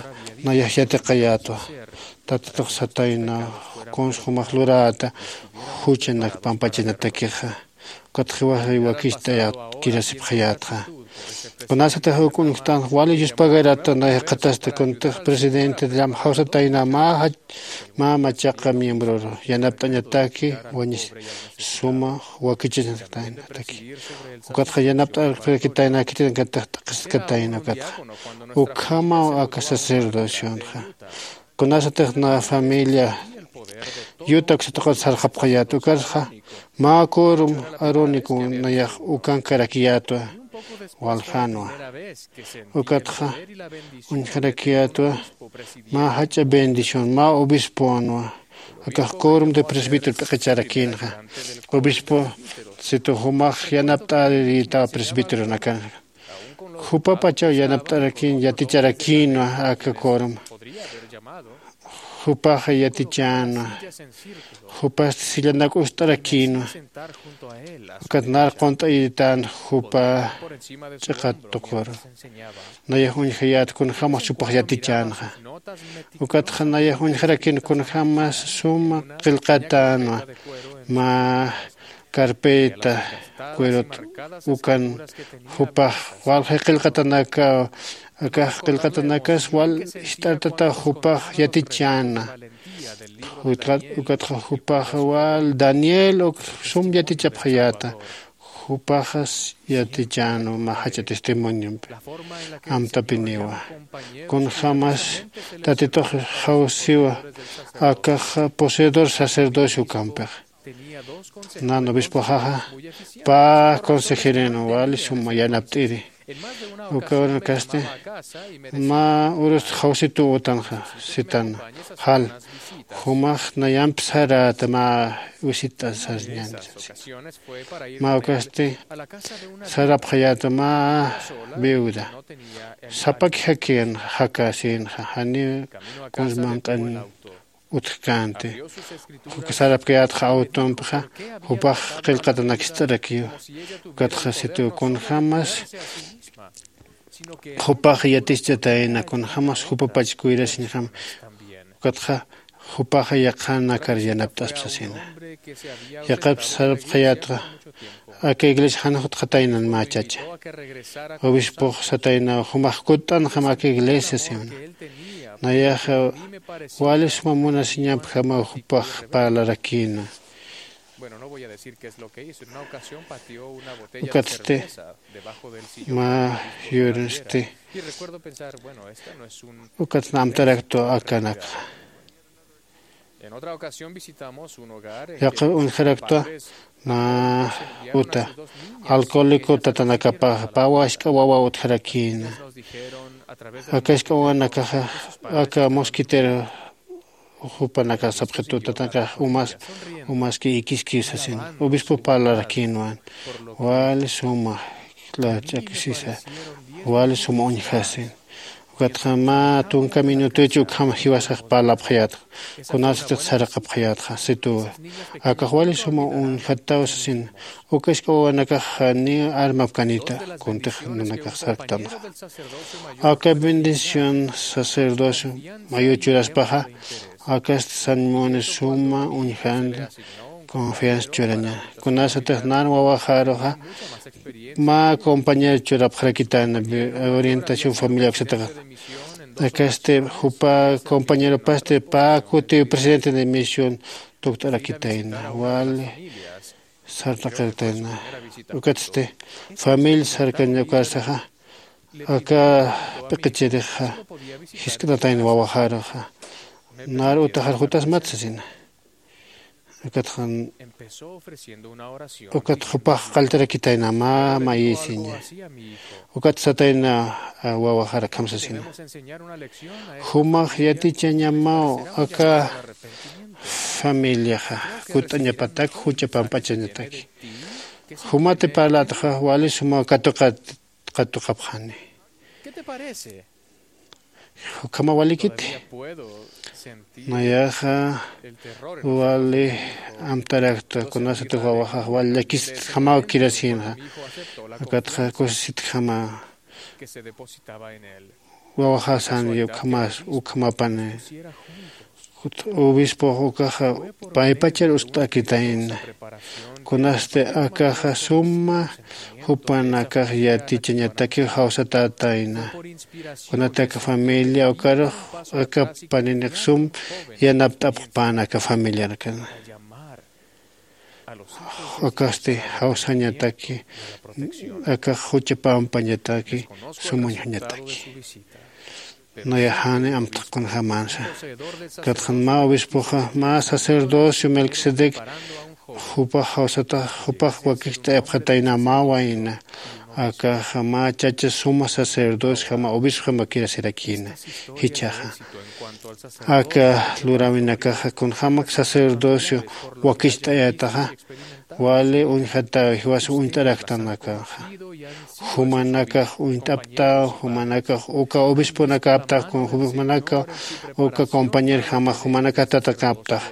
nayax yatiqayätwa. Tatitux satayna kuns jumax luräta juchanak pampachanatakixa. Ukatxa jiwaxay wakicht'ayät kirasipxayätxa. Kunasatix uk uñjtanx wali yuspagarata nayax qhatasta kuntix presidente de llama jawsatayna mä machaqa miembroru yanapt'añataki wañis suma wakichasnaktaynataki. Ukatxa yanapt'arakitayna khitinakatix t'aqhiskatayna ukatxa ukhamaw aka sacerdocionxa. Kunasatix na familia yuta uksatuqat sarxapxayät ukarxa mä quorum arónico nayax ukankarakiyätwa. Waljänwa ukatxa uñjarakiyätwa mä jach'a bendición mä obisponwa. Akax quorum de presbítero p'iqicharakïnxa obispo situ jumax yanapt'arirïtaw presbíteronakanxa. Jupapachaw yanapt'arakïn yaticharakïnwa aka quorum. Jupaxa yatichänwa. Jupasti sillanak ust'arakïnwa. Ukat nar qunt'ayitän jupa ch'iqat tuquru. Nayax uñjayät kunjämas jupax yatichänxa. Ukatxa nayax uñjarakïn kunjämas suma qillqatänwa mä carpeta cuerot ukan jupax walja qillqatanakaw. Akax qillqatanakas wal jist'artataw jupax yatichäna. Ukatxa jupaxa wal daniel uk sum yatichapxayäta. Jupaxas yatichänwa mä jach'a testimoniompi amtapiniwa. Kunjämas tatitux jawsiwa akax poseedor sacerdocio ukampix. Nan obispoxaxa pä consejerin wali suma yanapt'iri. Uka uranakasti mä urus jawsituw utanxa sitan jal jumax nayamp saräta mä wisit'asarñan. Mä ukasti sarapxayäta mä viuda sapaki jakin jakasïnxa janiw kuns manq'an utjkänti. Uka sarapkayätxa awtumpxa jupax qillqatanak jist'arakiw. Ukatxa situ kunjämas jupax yatischatayna kunjämas jupapach cuidasiñjam. Ukatxa jupaxa yaqhanakar yanapt'aspa sasina. Yaqhap sarapxayätxa aka iglesia janix utjataynan mä chacha. Obispox sataynaw jumax kutt'anxam aka iglesia sasina. Nayaxa wali suma munasiñampjamaw jupax parlarakïna. Ukatsti mä yurinsti ukatsti amtaraktwa akanakxa. Yaqha uñjaraktwa mä uta alcohólico tatanakapaxa pä wask'a wawa utjarakïna. Aka jisk'a wawanakaxa aka mosquitero jupanakax sapxitutanakax umas umaski ikiski sasin. Obispo parlarakïnwan wali suma lach'akisisa, wali suma uñjasin. Ukatxa mä tunka minutuchi ukham jiwasax parlapxayätxa, kunasatix saraqapxayätxa situwa. Akax wali suma uñjataw sasin. Uka isk'a wawanakax ni armapkanita kuntix nanakax sarktanxa. Aka bendición sacerdocio mayu churaspaxa, akasti sanmuni suma uñjanda confianza churaña. Kunasatix nan wawaxaruxa mä compañero churapxarakitana, orientación familia uksataxa. Akasti jupa compañeropasti pä kutiw presidente de misión tukt'arakitayna wali sartaqirtayna. Ukatsti familia sarkaña ukarsaxa aka p'iqichirixa jisk'atatayna wawaxaruxa. Nar utaxar jutasmat sasina. Ukatxan ukat jupax qalltarakitayna mä mayïsiña. Ukat satayna wawaxar akham sasina. Jumax yatichañamaw aka familiaxa kutt'añapatak jucha pampachañataki. Jumati parlatxa wali suma katuqat katuqapxani. Ukhama walikiti. Nayaxa wali amtarakta kunasatix wawaxax wali llakisitjamaw kirasïnxa. Ukatxa kusisitjama wawaxasan ukhamas ukhamapani. Obispox ukaxa paypachar uskt'akitayna. Kunasti akaxa suma jupanakax yatichañatakiw jawsatätayna. Kunati aka familia ukarux aka paninix sum yanapt'apxpän aka familiarkana. Akasti jawsañataki akax jucha pampañataki sum uñjañataki. Nayaxani amtaq kunjämänsa. Katxan mä obispoxa mä sacerdocio melquisedec jupax jawsatax jupax wakicht'ayapxatayna mä wayna. Akaxa mä chacha suma sacerdociojama obispojama kirasirakïna. Jichhaxa aka luräwinakaxa kunjämak sacerdocio wakicht'ayätaxa wali uñjataw jiwas uñt'araktan akanxa. Jumanakax uñt'aptaw jumanakax uka obisponakäptax kun jumanakaw uka compañerjamax jumanakax tatakäptax.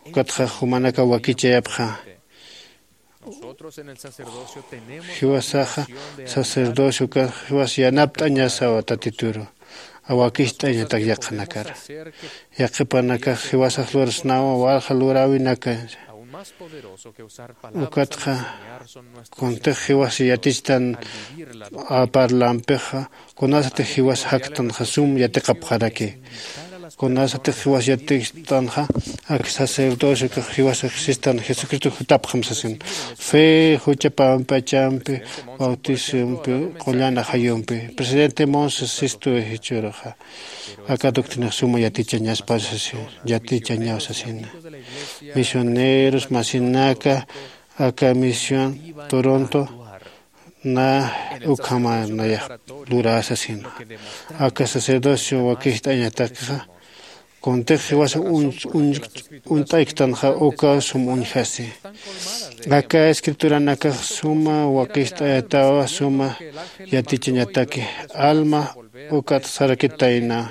Ukatxa jumanakaw wakichayapxa. Jiwasaxa sacerdocio ukax jiwas yanapt'añasawa tatituru. Awakicht'añatak yaqhanakar yaqhipanakax jiwasax lurasnawa walja luräwinaka. Ukatxa kuntix jiwas yatichtan parlampixa kunasatix jiwas jaktanxa sum yatiqapxaraki. Kunasatix jiwas yatichtanxa ak sacerdocio kax jiwas existan jesucristo jutapxam sasin. Fe jucha pampachampi bautisompi qullan ajayumpi presidente monse sistu jichhüruxa aka doctrinax suma yatichañaspa sasina. Yatichañaw sasina. Misioneros masinaka aka misión toronto na ukhama nayax lurä sasina. Aka sacerdocio wakicht'añatakixa kuntix jiwasa uñt'ayktanxa uka sum uñjasi. Aka escrituranakax suma wakicht'ayatawa suma yatichañataki alma ukat sarakitayna.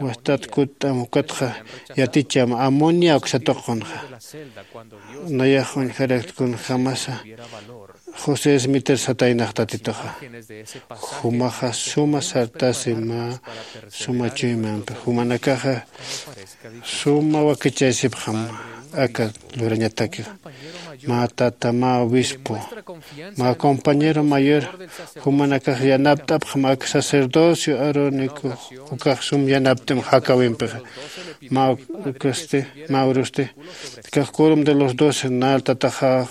Wastat kutt'am ukatxa yaticham amonia uksatuqunxa. Nayax uñjarakt kunjämasa josé smiter sataynax tatituxa. Jumaxa suma sartasi mä suma chuymampi jumanakaxa suma wakichaysipxam. Aka lurañatakixa mä tata mä obispo mä compañero mayor jumanakax yanapt'apxam aka sacerdocio arónico ukax sum yanapt'im jakawimpixa. Mä ukasti mä urusti kax corum de los doce nal tataxax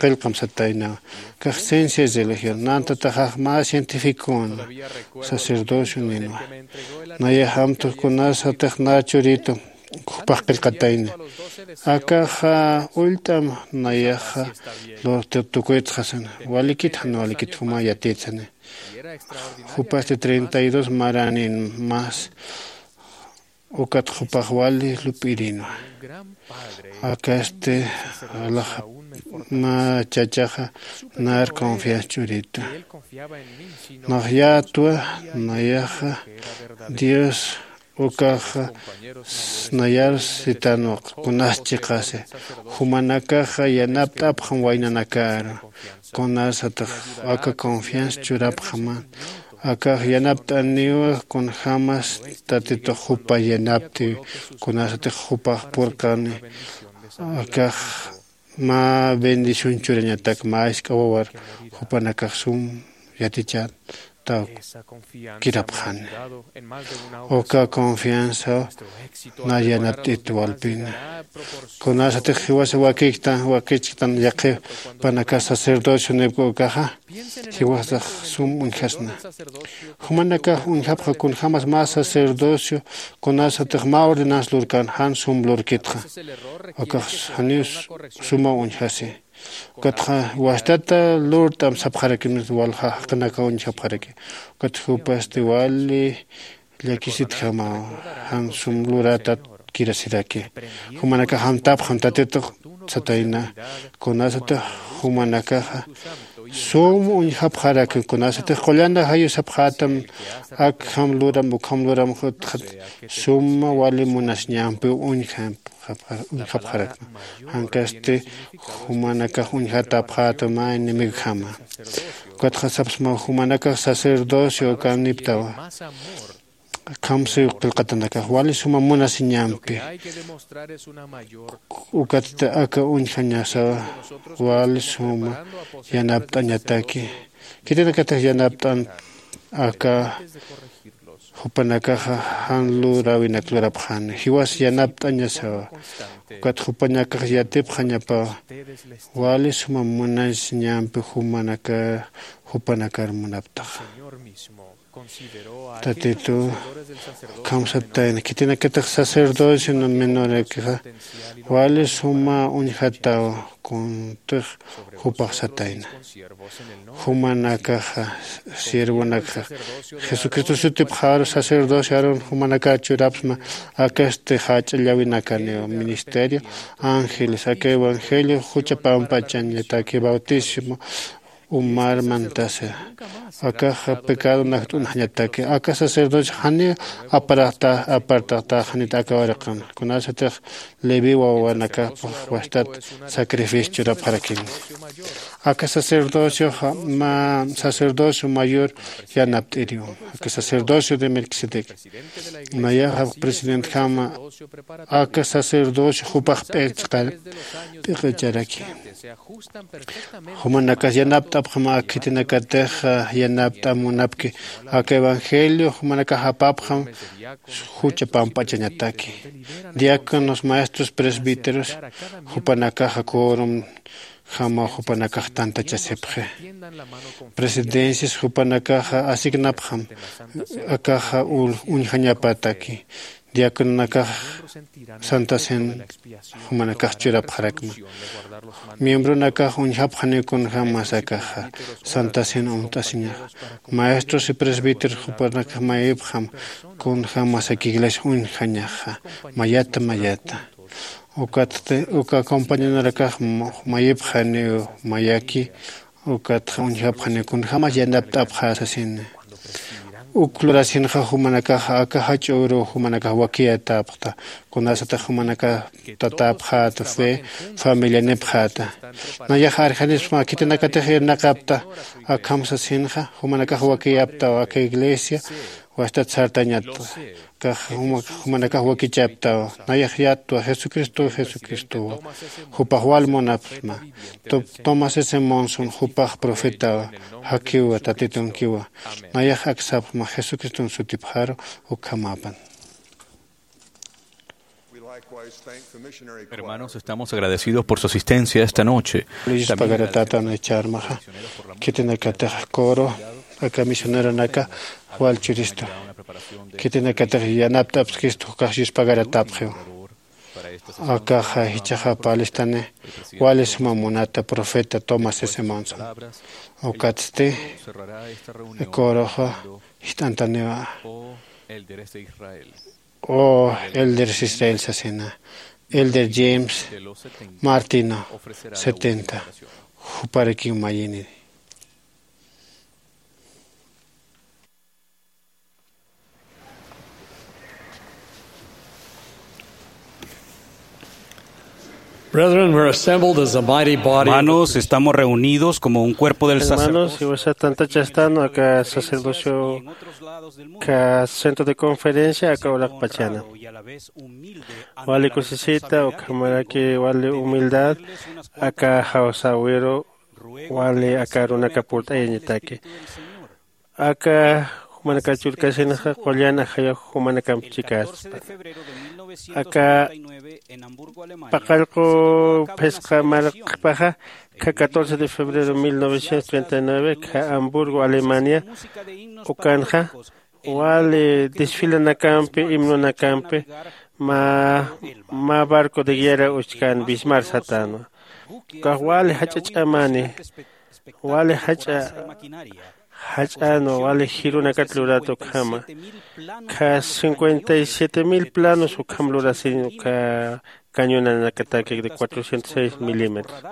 qillqam sataynawa. Kax ciencias religión nan tataxax mä cientificon sacerdocio ninwa. Nayax amtux kunasatix na churitu jupax qillqatayna. Akaxa ullt'am nayaxa lurtir tukuytxasana walikit jan walikit juma yatitsani. Jupasti treinta y dos maranin mas Ukat jupax wali lup'irinwa. Akasti alax mä chachaxa nar confianza ch'uritu. Nax yätwa nayaxa dios ukaxa nayar sitanwaq kunas chiqasi jumanakaxa yanapt'apxam waynanakaru. Kunasatix aka confianza churapxaman akax yanapt'aniwa kunjämas tatitux jupa yanaptiw. Kunasatix jupax purqani akax mä bendición churañatak mä isk'a wawar jupanakax sum yatichätaw kirapxani. Uka confianza na yanapt'it walpina kunasatix jiwasa wakiktan wakichktan yaqhipanakas sacerdocio nipk'u ukaxa jiwasax sum uñjasna. Jumanakax uñjapxa kunjämas mä sacerdocio kunasatix mä ordenanza lurkan jan sum lurkitxa. Akax janiw suma uñjasi. Ukatxa wastata lurt'am sapxarakimis walja jaqinaka uñjapxaraki. Ukat jupasti wali llakisitjamaw jan sum luratat kirasiraki. Jumanakax amtapxam tatitux satayna. Kunasatix jumanakaxa sum uñjapxaraki kunasatix qullana jayu sapxätam akham luram ukham luram jutxat suma wali munasiñampiw uñjapxarakma. Jankasti jumanakax uñjatäpxätam mä enemigojama. Ukatxa sapsma jumanakax sacerdocio ukaniptawa. Khamsiw qillqatanakax wali suma munasiñampi. Ukatsti aka uñjañasawa wali suma yanapt'añataki. Khitinakatix yanapt'an aka jupanakaxa jan luräwinak lurapxani jiwas yanapt'añasawa. Ukat jupanakax yatipxañapawa wali suma munasiñampi jumanaka jupanakar munaptaxa. Tatitu khamsatayna khitinakatix sacerdocio menorakixa wali suma uñjataw kuntix jupax satayna. Jumanakaxa siervonakxa jesucristo sutipxaru sacerdocio arun jumanakar churapsma. Akasti jach'a llawinakaniw ministerio ángeles aka evangelio jucha pamp'achañataki bautismo umar mantasa. Akaxa pecado nakt'unxañataki aka sacerdocio janiw aparaqta apartaqta janit aka waraqan kunasatix leví wawanakapax wastat sacrificio churapxarakini. Aka sacerdocio mä sacerdocio mayor yanapt'iriw aka sacerdocio de melquisedec. Nayaxa presidentjama aka sacerdocio jupax p'iq'icharaki. Jumanakas yanapt'apxam ak khitinakatix yanapt'am munapki. Aka evangelio jumanakax apapxam jucha pamp'achañataki. Diáconos maestros presbíteros jupanakaxa corom jama jupanakax tantachasipxi. Presidencias jupanakaxa asignapxam akaxa uñjañapataki. Diacononakax santa cena jumanakax churapxarakma. Miembronakax uñjapxaniw kunjämas akaxa santa cena umt'asiñaxa. Maestros y presbíteros jupanakax mayipxam kunjämas aka iglesia uñjañaxa mayata mayata. Ukatsti uka compañeronarakax mayipxaniw mayaki. Ukatxa uñjapxani kunjämas yanapt'apxä sasini. Uk lurasinxa jumanakaxa aka jach'a uruw jumanakax wakiyätäpxta. Kunasatix jumanakax tatäpxäta fe familianipxäta. Nayax arjanispma khitinakatix irnaqapta akham sasinxa jumanakax wakiyaptaw aka iglesia wastat sartañatxa. Kax jumanakax wakichaptawa. Nayax yatwa jesucristow jesucristowa. Jupax wal munapxma. Tomás s monson jupax profetawa. Jakiwa tatitunkiwa. Nayax aksapxma jesucriston sutipxaru. Ukhamäpan. Hermanos, estamos agradecidos por su asistencia esta noche. Luyis pagaratätan icharmaxa khitinakatix coro aka misioneronaka wal churistu. Khitinakatix yanapt'apskistu ukax yuspagaratäpxiw. Akaxa jichhaxa parlistani wali suma munata profeta tomás s monson. Ukatsti coroxa jist'antaniwa. o elder Israel sasina, elder James Martino, setenta, juparakiw mayini. Brethren, we're assembled as a mighty body of the Hermanos, estamos reunidos como un cuerpo del sacerdocio. Hermanos, iwasa tantachastan aka sacerdocio ka centro de conferencia aka uraqpachana. Wali kusisita ukhamaraki wali humildad aka jawsäwiru wali aka arunaka purt'ayañataki. Aka jumanaka churkasinxa qullan ajayux jumanakamp chikaspa. Aka paqallqu phisqa marqpaxa kha catorce de febrero mil novecientos treinta y nueve kha Hamburgo, Alemania, ukanxa wali desfilanakampi, himnonakampi mä mä barco de guerra uchkän Bismarck satänwa. Ukax wali jach'a ch'amani, wali jach'a jach'änwa, wali jirunakat lurat ukhama. Kha cincuenta y siete mil planos ukham lurasiñ uka cañonanakataki de cuatrocientos seis milímetros.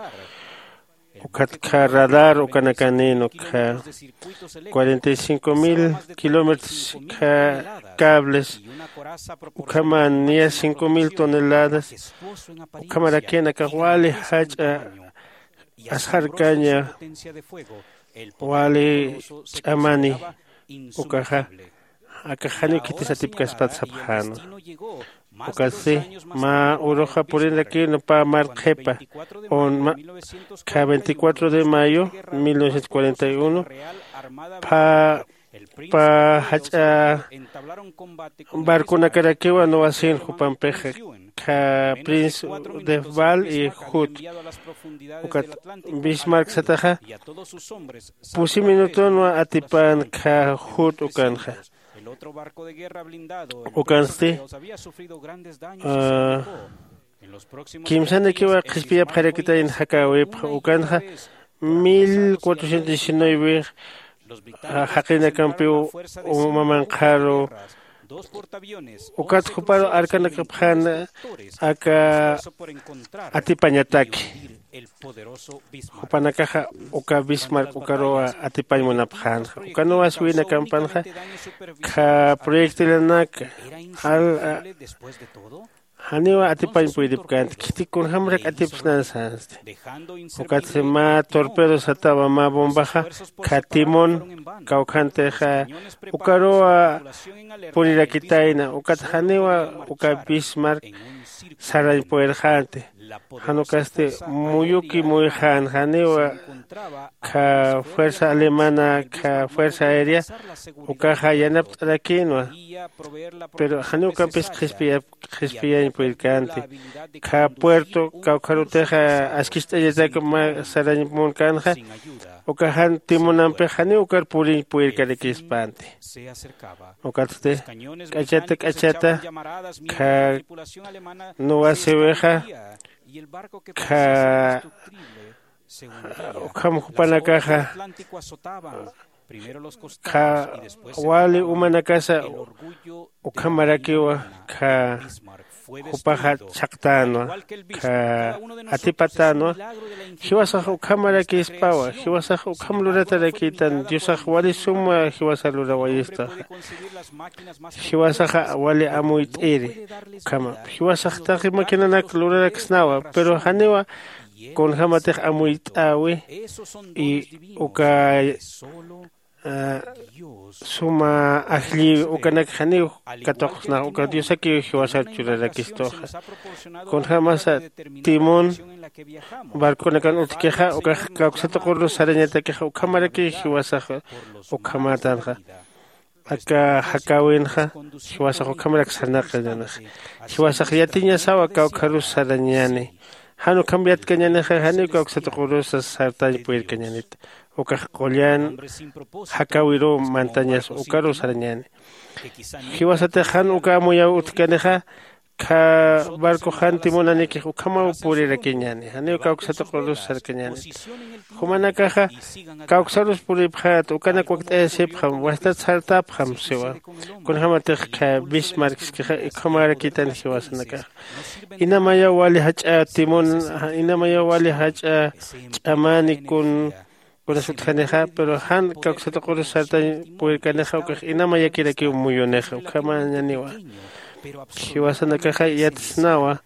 Ukat kha radar ukanakanïn ukha cuarenta y cinco mil kilómetros kha cables ukhaman niya cinco mil toneladas. Ukhamarakin aka wali jach'a asxarkaña, wali ch'amani ukaxa. Aka janiw khitis atipkaspat sapxänwa. Ukatsti mä uruxa purinrakïnwa pä mar qhipa un ma- kha veinticuatro de mayo mil novecientos cuarenta y uno pä pä jach'a barconakarakiwa nuwasin jupampixa kha prince de Val y Hood. Ukat Bismarck sataxa pusi minutunwa atipän kha Hood ukanxa. Ukansti kimsanakiwa qhispiyapxarakitayna jakäwipxa ukanxa mil cuatrocientos diecinueve jaqinakampiw uma manqharu. Ukat juparu arkanakapxäna aka atipañataki. Jupanakaxa uka Bismarck ukaruwa atipañ munapxänxa ukanuwas winakampanxa kha proyectilanaka al janiwa atipañ puydipkänti khitik kunjämarak atipsnan sänsti. Ukatsi mä torpedo satawa mä bombaxa kha timón kawkhantixa ukaruwa purirakitayna ukat janiwa uka Bismarck sarañ puyrxänti. Jan ukasti muyuki muyxän janiwa kha fuerza alemana kha fuerza aérea ukaxa yanapt'arakïnwa. Pero janiw ukampis qhispiyañ puyrkänti. Kha puerto kawkharutixa askicht'añatak mä sarañ munkänxa uka jan timunampix janiw ukar puriñ puyrkarakispanti. Ukatsti k'achata k'achata kha nuwasiwixa kha ukham jupanakaxa kha wali umanakasa ukhamarakiwa kha jupaxa chhaqtänwa kha atipatänwa. Jiwasax ukhamarakispawa jiwasax ukham luratarakïtan diosax wali suma jiwasa lurawayistaxa. Jiwasaxa wali amuyt'iri ukhama jiwasax taqi maquinanak luraraksnawa pero janiwa kunjämatix amuyt'äwi. Y uka suma ajllïwi ukanak janiw katuqsnax uka diosakiw jiwasar churarakistuxa. Kunjämasa timón barconakan utjkixa ukax kawksatuqurus sarañatakixa ukhamarakiw jiwasax ukhamätanxa. Aka jakäwinxa jiwasax ukhamarak sarnaqañänixa. Jiwasax yatiñasawa kawkharus sarañäni. Jan ukham yatkañänixa janiw kawksatuqurusa sartañ purirkañänit. Ukax qullan jakäwiruw mantañas ukaruw sarañäni. Jiwasatix jan uka amuyäw utjkanixa Kha barcox jan timunanïkix ukhamaw purirakiñäni, janiw kawksatuqurus sarkañäni. Jumanakaxa kawksarus puripxät, ukanak wakt'ayasipxam, wastat sartapxam siwa. Kunjämatix kha Bismarckskixa ukhamärakitan jiwasanakaxa. Inamayaw wali jach'a timun, inamayaw wali jach'a ch'amäni kun kunas utjanixa, pero jan kawksatuqurus sartañ purirkanixa, ukax inamayakirakiw muyunixa, ukhamañaniwa. Jiwasanakaxa yatsnawa,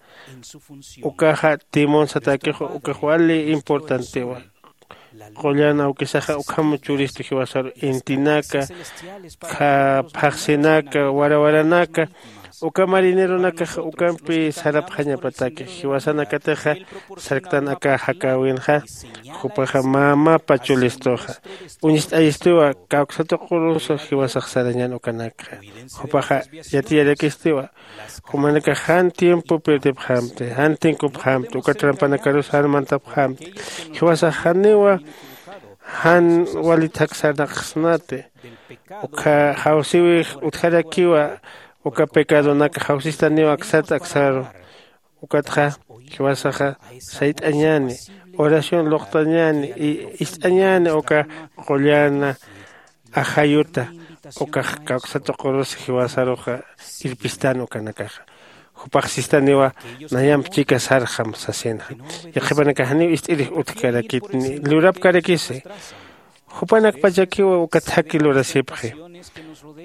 ukaxa timun satäkix, ukax wali importantiwa. Qullan awkisaxa ukham churistu jiwasaru, intinaka, kha phaxsinaka, warawaranaka, uka marineronakax ukampi sarapxañapataki. Jiwasanakatixa sarktan aka jakäwinxa, jupaxa mä mapa chulistuxa. Uñst'ayistiwa, kawksatuqurus jiwasax sarañän ukanakxa. Jupaxa yatiyarakistiwa, jumanakax jan tiempo pirdipxämti, jan tinkupxämti, uka trampanakarus jan mantapxämti. Jiwasax janiwa jan wali thak sarnaqsnati. Uka jawsïwix utjarakiwa, uka pecadonak jawsistaniwa aksat aksaru. Ukatxa jiwasaxa sayt'añäni, oración luqtañäni, ist'añäni uka qullana ajayuta, ukax kawksatuqurus jiwasaruxa irpistän ukanakaxa. Jupax sistaniwa, nayamp chika sarxam sasinxa. Yaqhipanakax janiw ist'irix utjkarakitni, lurapkarakisi. Jupanakpachakiwa uka thaki lurasipxi.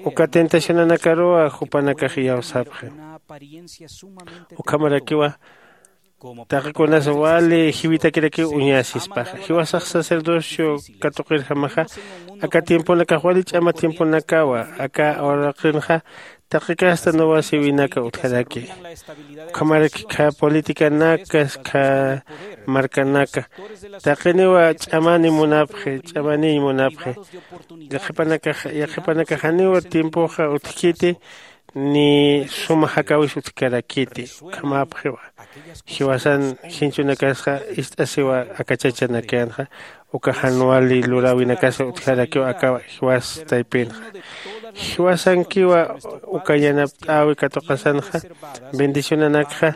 Uka tentacionanakaruwa jupanakax iyawsapxi. Ukhamarakiwa taqi kunas wali jiwitakirakiw uñasispaxa. Jiwasax sacerdocio katuqirjamaxa, aka tiemponakax wali ch'ama tiemponakawa, aka uraqinxa taqi kasta nuwasïwinaka utjaraki. Ukhamaraki kha politicanaka, kha markanaka, taqiniwa ch'amani munapxi, ch'amaniñ munapxi. Yaqhipanakax, yaqhipanakax janiwa tiempoxa utjkiti, ni suma jakäwis utjkarakiti, ukhamäpxiwa. Jiwasan jinchunakasxa ist'asiwa aka chachanakanxa, uka jan wali luräwinakasa utjarakiw aka jiwas taypinxa. Jiwasankiwa uka yanapt'äwi katuqasanxa, bendicionanakxa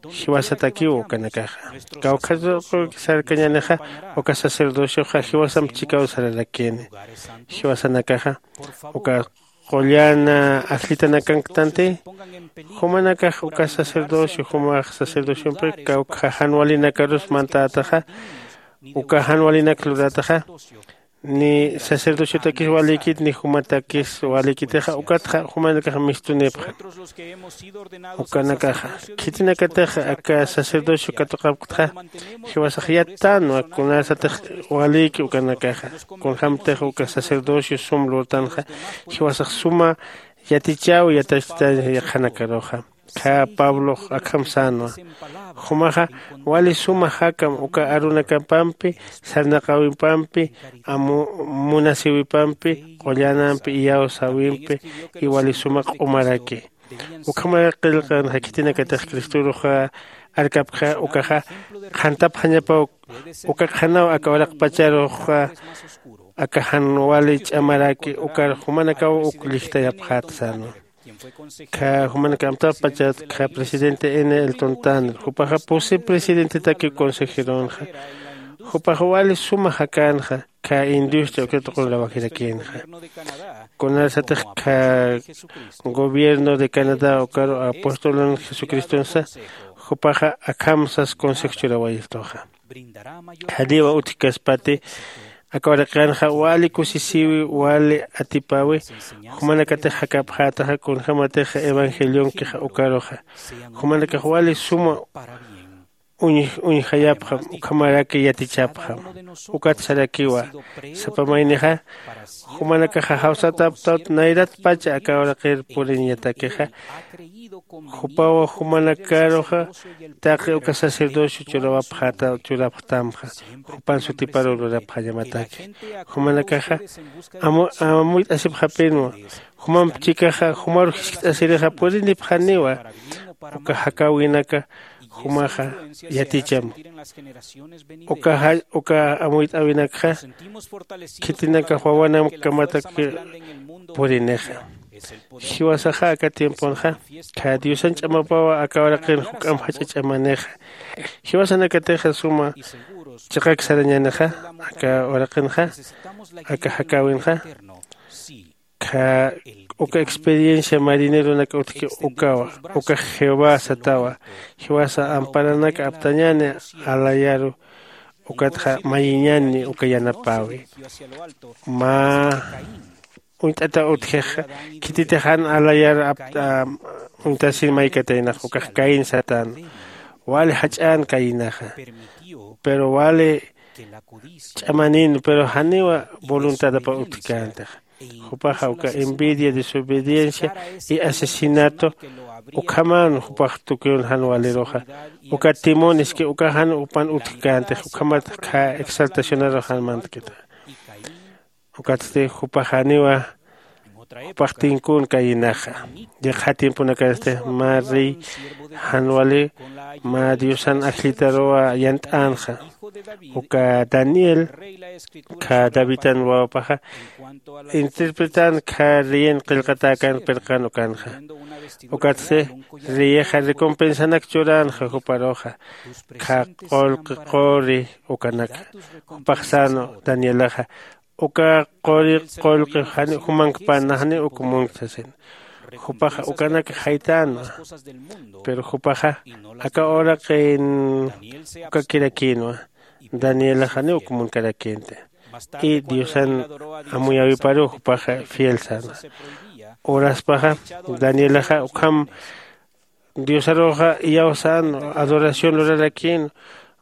jiwasatakiw ukanakaxa. Kawkhatux sarkañänixa, uka sacerdocioxa jiwasamp chikaw sararakini. Jiwasanakaxa uka qullan ajllitanakanktantï, jumanakax uka sacerdocio, jumax sacerdociompi kawkha jan walinakarus mantätaxa, uka jan walinak lurätaxa, ni sacerdociotakis walïkit ni jumatakis walïkitixa, ukatxa jumanakax mistunipxam. Ukanakaxa khitinakatix aka sacerdocio katuqapktxa, jiwasax yattänwa kunasatix walïki ukanakaxa. Kunjämtix uka sacerdocio sum lurtanxa, jiwasax suma yatichäwi yatachtañ yaqhanakaruxa. Khä pablox akham sänwa. Jumaxa wali suma jakam uka arunakapampi, sarnaqäwipampi, munasïwipampi, qullanampi, iyawsäwimpi, y wali suma q'umaraki. Ukhamarak qillqanxa khitinakatix cristorux arkapkxa ukaxa qhantapxañapaw. Uka qhanaw aka uraqpacharuxa aka jan wali ch'amaraki ukar jumanakaw uk llijtayapxät sänwa. Khä jumanakax amtapxpachat khä presidente n elton tanner, jupaxa pusi presidentetaki consejeronxa. Jupaxa wali suma jakänxa khä industria uksa tuqun rawajirakinxa. Kunasatix khä gobierno de canadá ukaru apostolan jesucristonsa, jupaxa akham sas consejo churawayistuxa. Janiwa utjkaspati aka uraqinxa wali kusisïwi, wali atipäwi, jumanakatix jakapxätaxa kunjämatix evangelionkixa ukaruxa. Jumanakax wali suma uñjayapxam, ukhamaraki yatichapxam. Ukat sarakiwa, sapa maynixa jumanakaxa jawsataptawt nayratpacha aka uraqir puriñatakixa. Jupawa jumanakaruxa taqi uka sacerdocio churawapxäta churapxtamxa, jupan sutiparu lurapxañamataki. Jumanakaxa amuyt'asipxapinwa. Jumamp chikaxa jumaru jiskt'asirixa purinipxaniwa. Uka jakäwinaka jumaxa yaticham. Uka amuyt'äwinakxa khitinakax wawanakamataki purinixa. Jiwasaxa aka tiemponxa kha diosan ch'amapawa aka uraqin juk'amp jach'a ch'amanixa. Jiwasanakatixa suma chiqak sarañänixa aka uraqinxa, aka jakäwinxa. Kha uka experiencia marineronak utjki ukawa, ukax jehová satawa. Jiwasa amparanak aptañäni alayaru. Ukatxa mayiñäni uka yanapäwi. Mä uñt'ata utjix khititix jan alayar apt'a uñtasin maykataynax ukax caín satän. Wali jach'än caínaxa, pero wali ch'amanin pero janiwa voluntadapa utjkäntixa. Jupaxa uka envidia, desobediencia y asesinato ukhaman jupax tukiwn jan waliruxa. Uka timoniski uka jan jupan utjkäntix ukhamat kha exaltacionaru jan mantkita. Ukatsti jupax janiwa jupax tinkun caínaxa. Yaqha tiemponakasti mä rey jan wali mä diosan ajllitaruwa yant'änxa. Uka daniel kha davidan wawapaxa interpretän kha reyin qillqatäkän pirqan ukanxa. Ukatsti reyixa recompensanak churänxa juparuxa kha qullqi quri ukanaka. Jupax sänwa danielaxa uka quri qullqi janiw jumankpana janiw uk munkta sasina. Jupaxa ukanak jaytänwa. Pero jupaxa aka uraqin ukakirakïnwa. Danielax janiw uk munkarakïnti. Y diosan amuyäwiparuw jupaxa fiel sänwa. Uraspaxa danielaxa ukham diosaruxa iyawsänwa, adoración lurarakïnwa.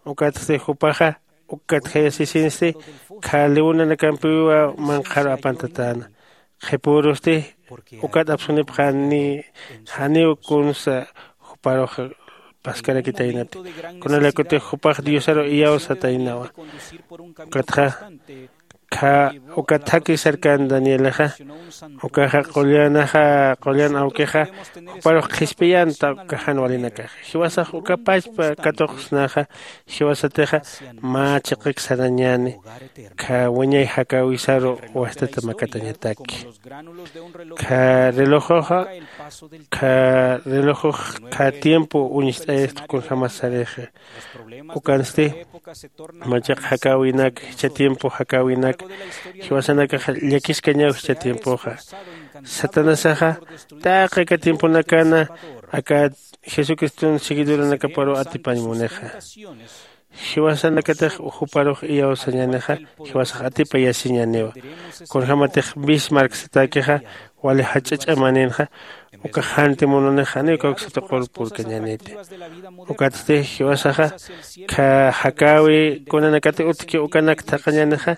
Ukatsti jupaxa ukat jayasisinsti kha leonanakampiwa manqharu apantatäna. Qhipürusti ukat apsunipxani janiw kunsa juparux paskarakitaynati. Kunalaykutix jupax diosaru iyawsataynawa. Ukatxa kha uka thaki sarkän danielaxa ukaxa qullanaxa qullan awkixa juparux qhispiyänta uka jan walinakaxa. Jiwasax uka pachpa katuqsnaxa jiwasatixa mä chiqak sarañäni kha wiñay jakäwisaru wastata makatañataki. Kha relojoxa kha relojux kha tiempo uñst'ayasta kunjämas sarixa. Ukansti mä chiq jakäwinak jichha tiempo jakäwinak jiwasanakax llakiskañaw jichha tiempoxa. Satanasaxa taqi aka tiemponakana aka jesucriston seguidoranakaparuw atipañ munixa. Jiwasanakatix juparux iyawsañänixa jiwasax atipayasiñäniwa. Kunjämatix bismarck satäkixa wali jach'a ch'amaninxa ukax jan timonunix janiw kawksa tuqur purkañäniti. Ukatsti jiwasaxa kha jakäwi kunanakati utjki ukanak thaqañänixa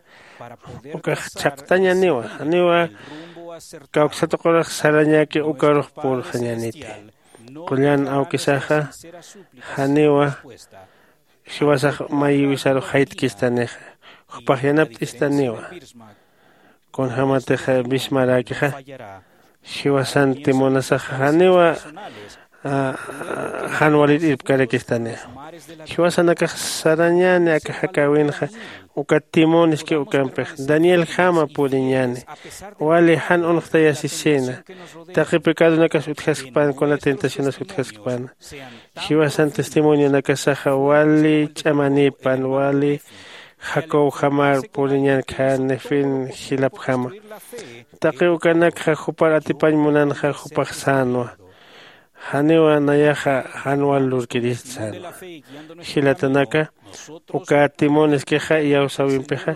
ukax chhaqtañäniwa janiwa kawksa tuqurux sarañäki ukarux purxañäniti. Qullan awkisaxa janiwa jiwasax mayiwisaru jaytkistanixa jupax yanapt'istaniwa. Kunjämatix bismaräkixa jiwasan timonasaxa janiwa jan walir irpkarakistanixa. Jiwasanakax sarañäni aka jakäwinxa uka timoniski ukampix danielkjama puriñäni. Wali jan unxtayasisina taqi pecadonakas utjaskpän kuna tentacionas utjaskpän. Jiwasan testimonionakasaxa wali ch'amanipan wali jacobjamar puriñan kha nefin jilapjama. Taqi ukanakxa jupar atipañ munanxa jupax sänwa. Janiwa nayaxa jan wal lurkirist sänwa. Jilatanaka uka timoniskixa iyawsäwimpixa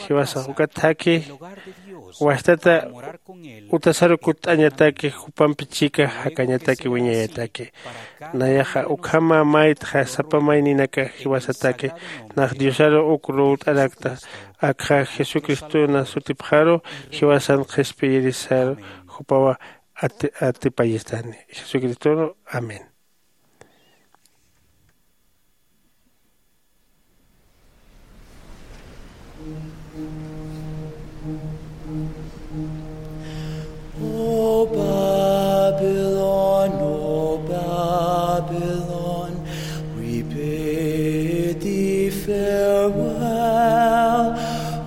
jiwasax uka thaki wastata utasaru kutt'añataki jupampi chika jakañataki wiñayataki. Nayaxa ukhama maytxa sapa mayninaka jiwasataki nax diosaru uk ruwt'arakta. Akxa jesucristona sutipxaru jiwasan qhispiyirisaru jupawa atipayistani jesucristonu. Amén. O Babylon, O Babylon, we bid thee farewell.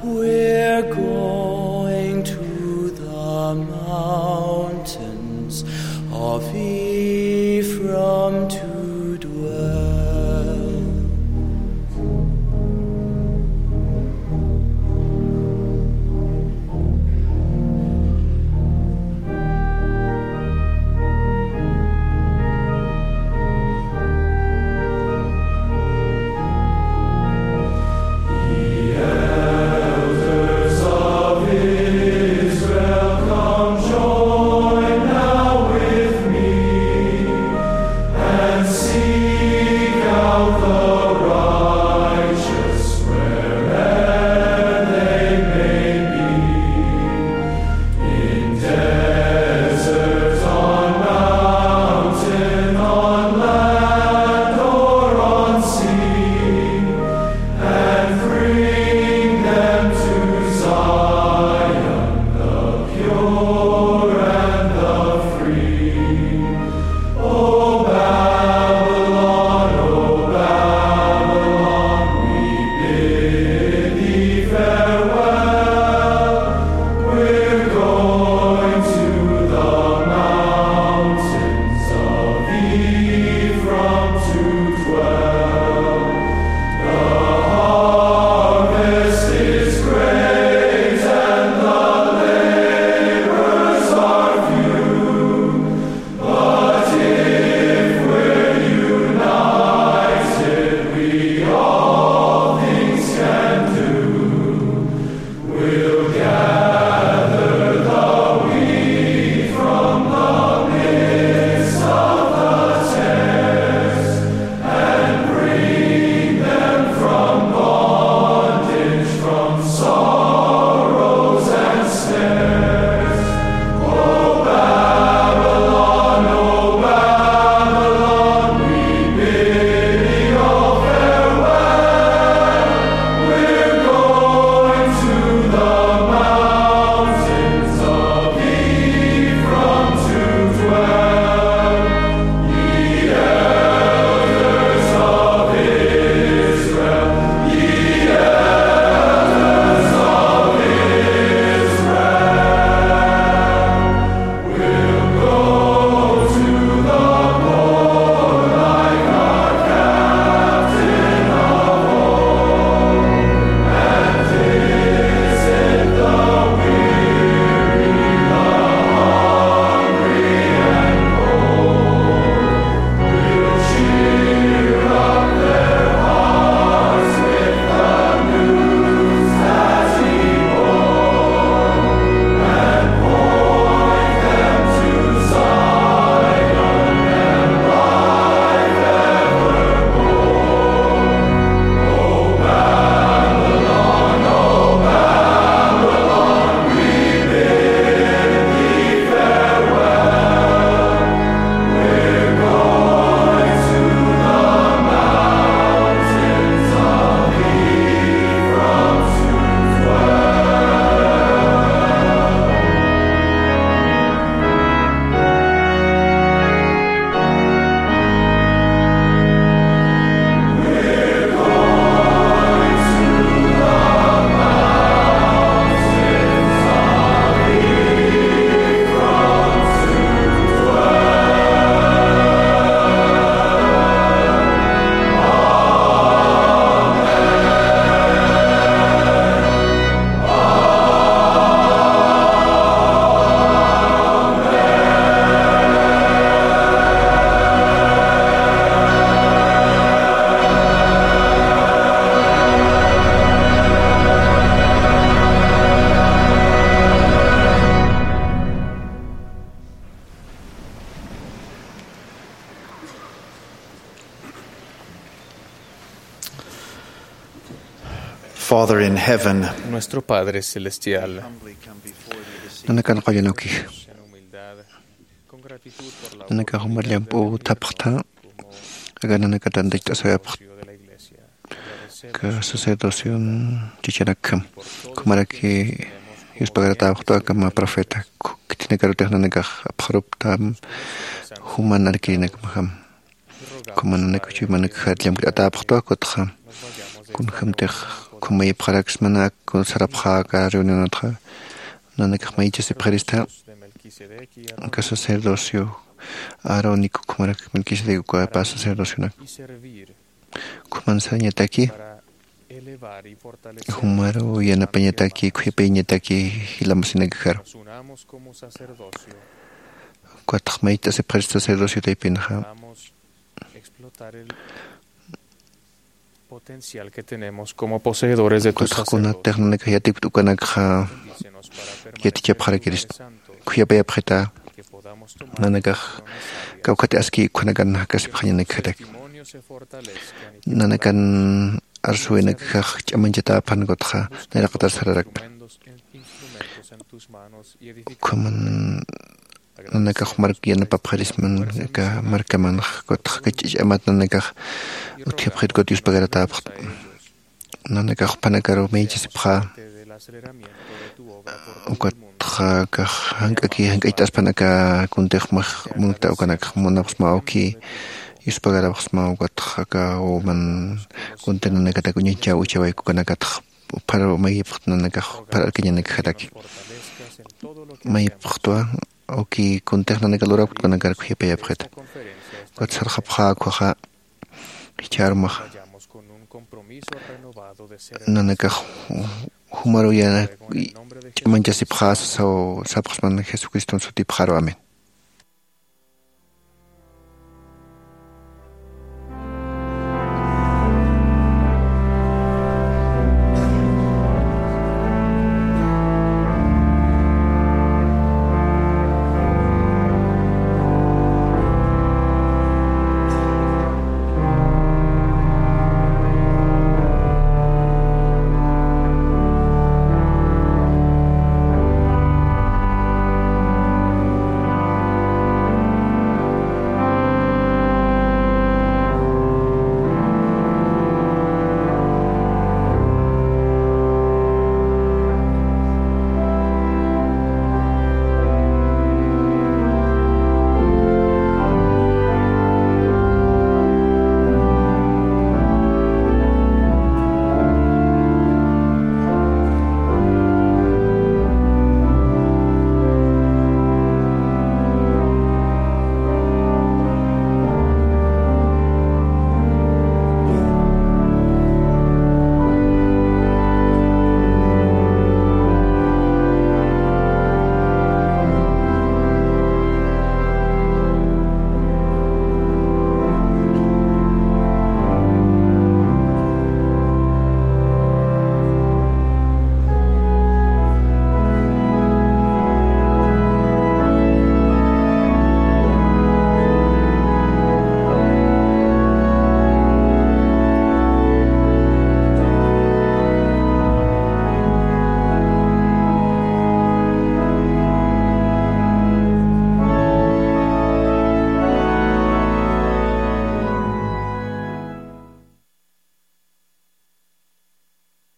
We're going to the mountain. Father in heaven, Nuestro Padre Celestial. Nanakan qullan ukix. Nanakax jumar llamp'u thapxta, aka nanakatan tach't'asawayapxta. Aka sacerdocion chichanakjam. Jumaraki yuspagaratäpxtu aka mä profeta. Khitinakarutix nanakax apxaruptam juman arkirinakmajam. Ukhama nanakax chuymanakax llamk'atäpxtwa, ukatxa kunjämtix ukham mayipxaraksma, nanak sarapxä aka reunionatxa, nanakax maychasipxirista aka sacerdocio aaronico, ukhamarak Melquisedec ukapa sacerdocionak. Ukhaman sarañataki, jumaru yanapañataki, khuyapayñataki jilamasinakaxaru. Ukatxa mayt'asipxirista sacerdocio taypinxa, ukatxa kunatix nanakax yatipkta ukanakxa yatichapxarakirista. Khuyapayapxita nanakax kawkhati aski ukhanakan jakasipxañanakjataki. Nanakan arsuwinakaxax ch'amañchatäpan, ukatxa nayraqatar sararakpan. Ukhaman nanakax mark yanapapxirisman aka markamanx, ukatxa aka ch'amat nanakax utjapxit, ukat yuspagaratäpxta. Nanakax jupanakaru maychasipxä, ukatxa akax jank'aki jank'acht'aspan aka kuntix max munta ukanakxa munapxsma awki yuspagarapxsma, ukatxa aka uman kunti nanakatak uñañchäw ichhawayku ukanakatxa uphar mayipxt nanakax uphar arkañanakjataki. Mayipxtwa, awki kuntix nanaka lurakut ukanakar khuyapayapxita. Ukat sarxapxä ukkhaxa, jichhärumaxa nanakax jumaru ya ch'amañchasipxä sasaw sapxsman Jesucriston sutipxaru. Amén.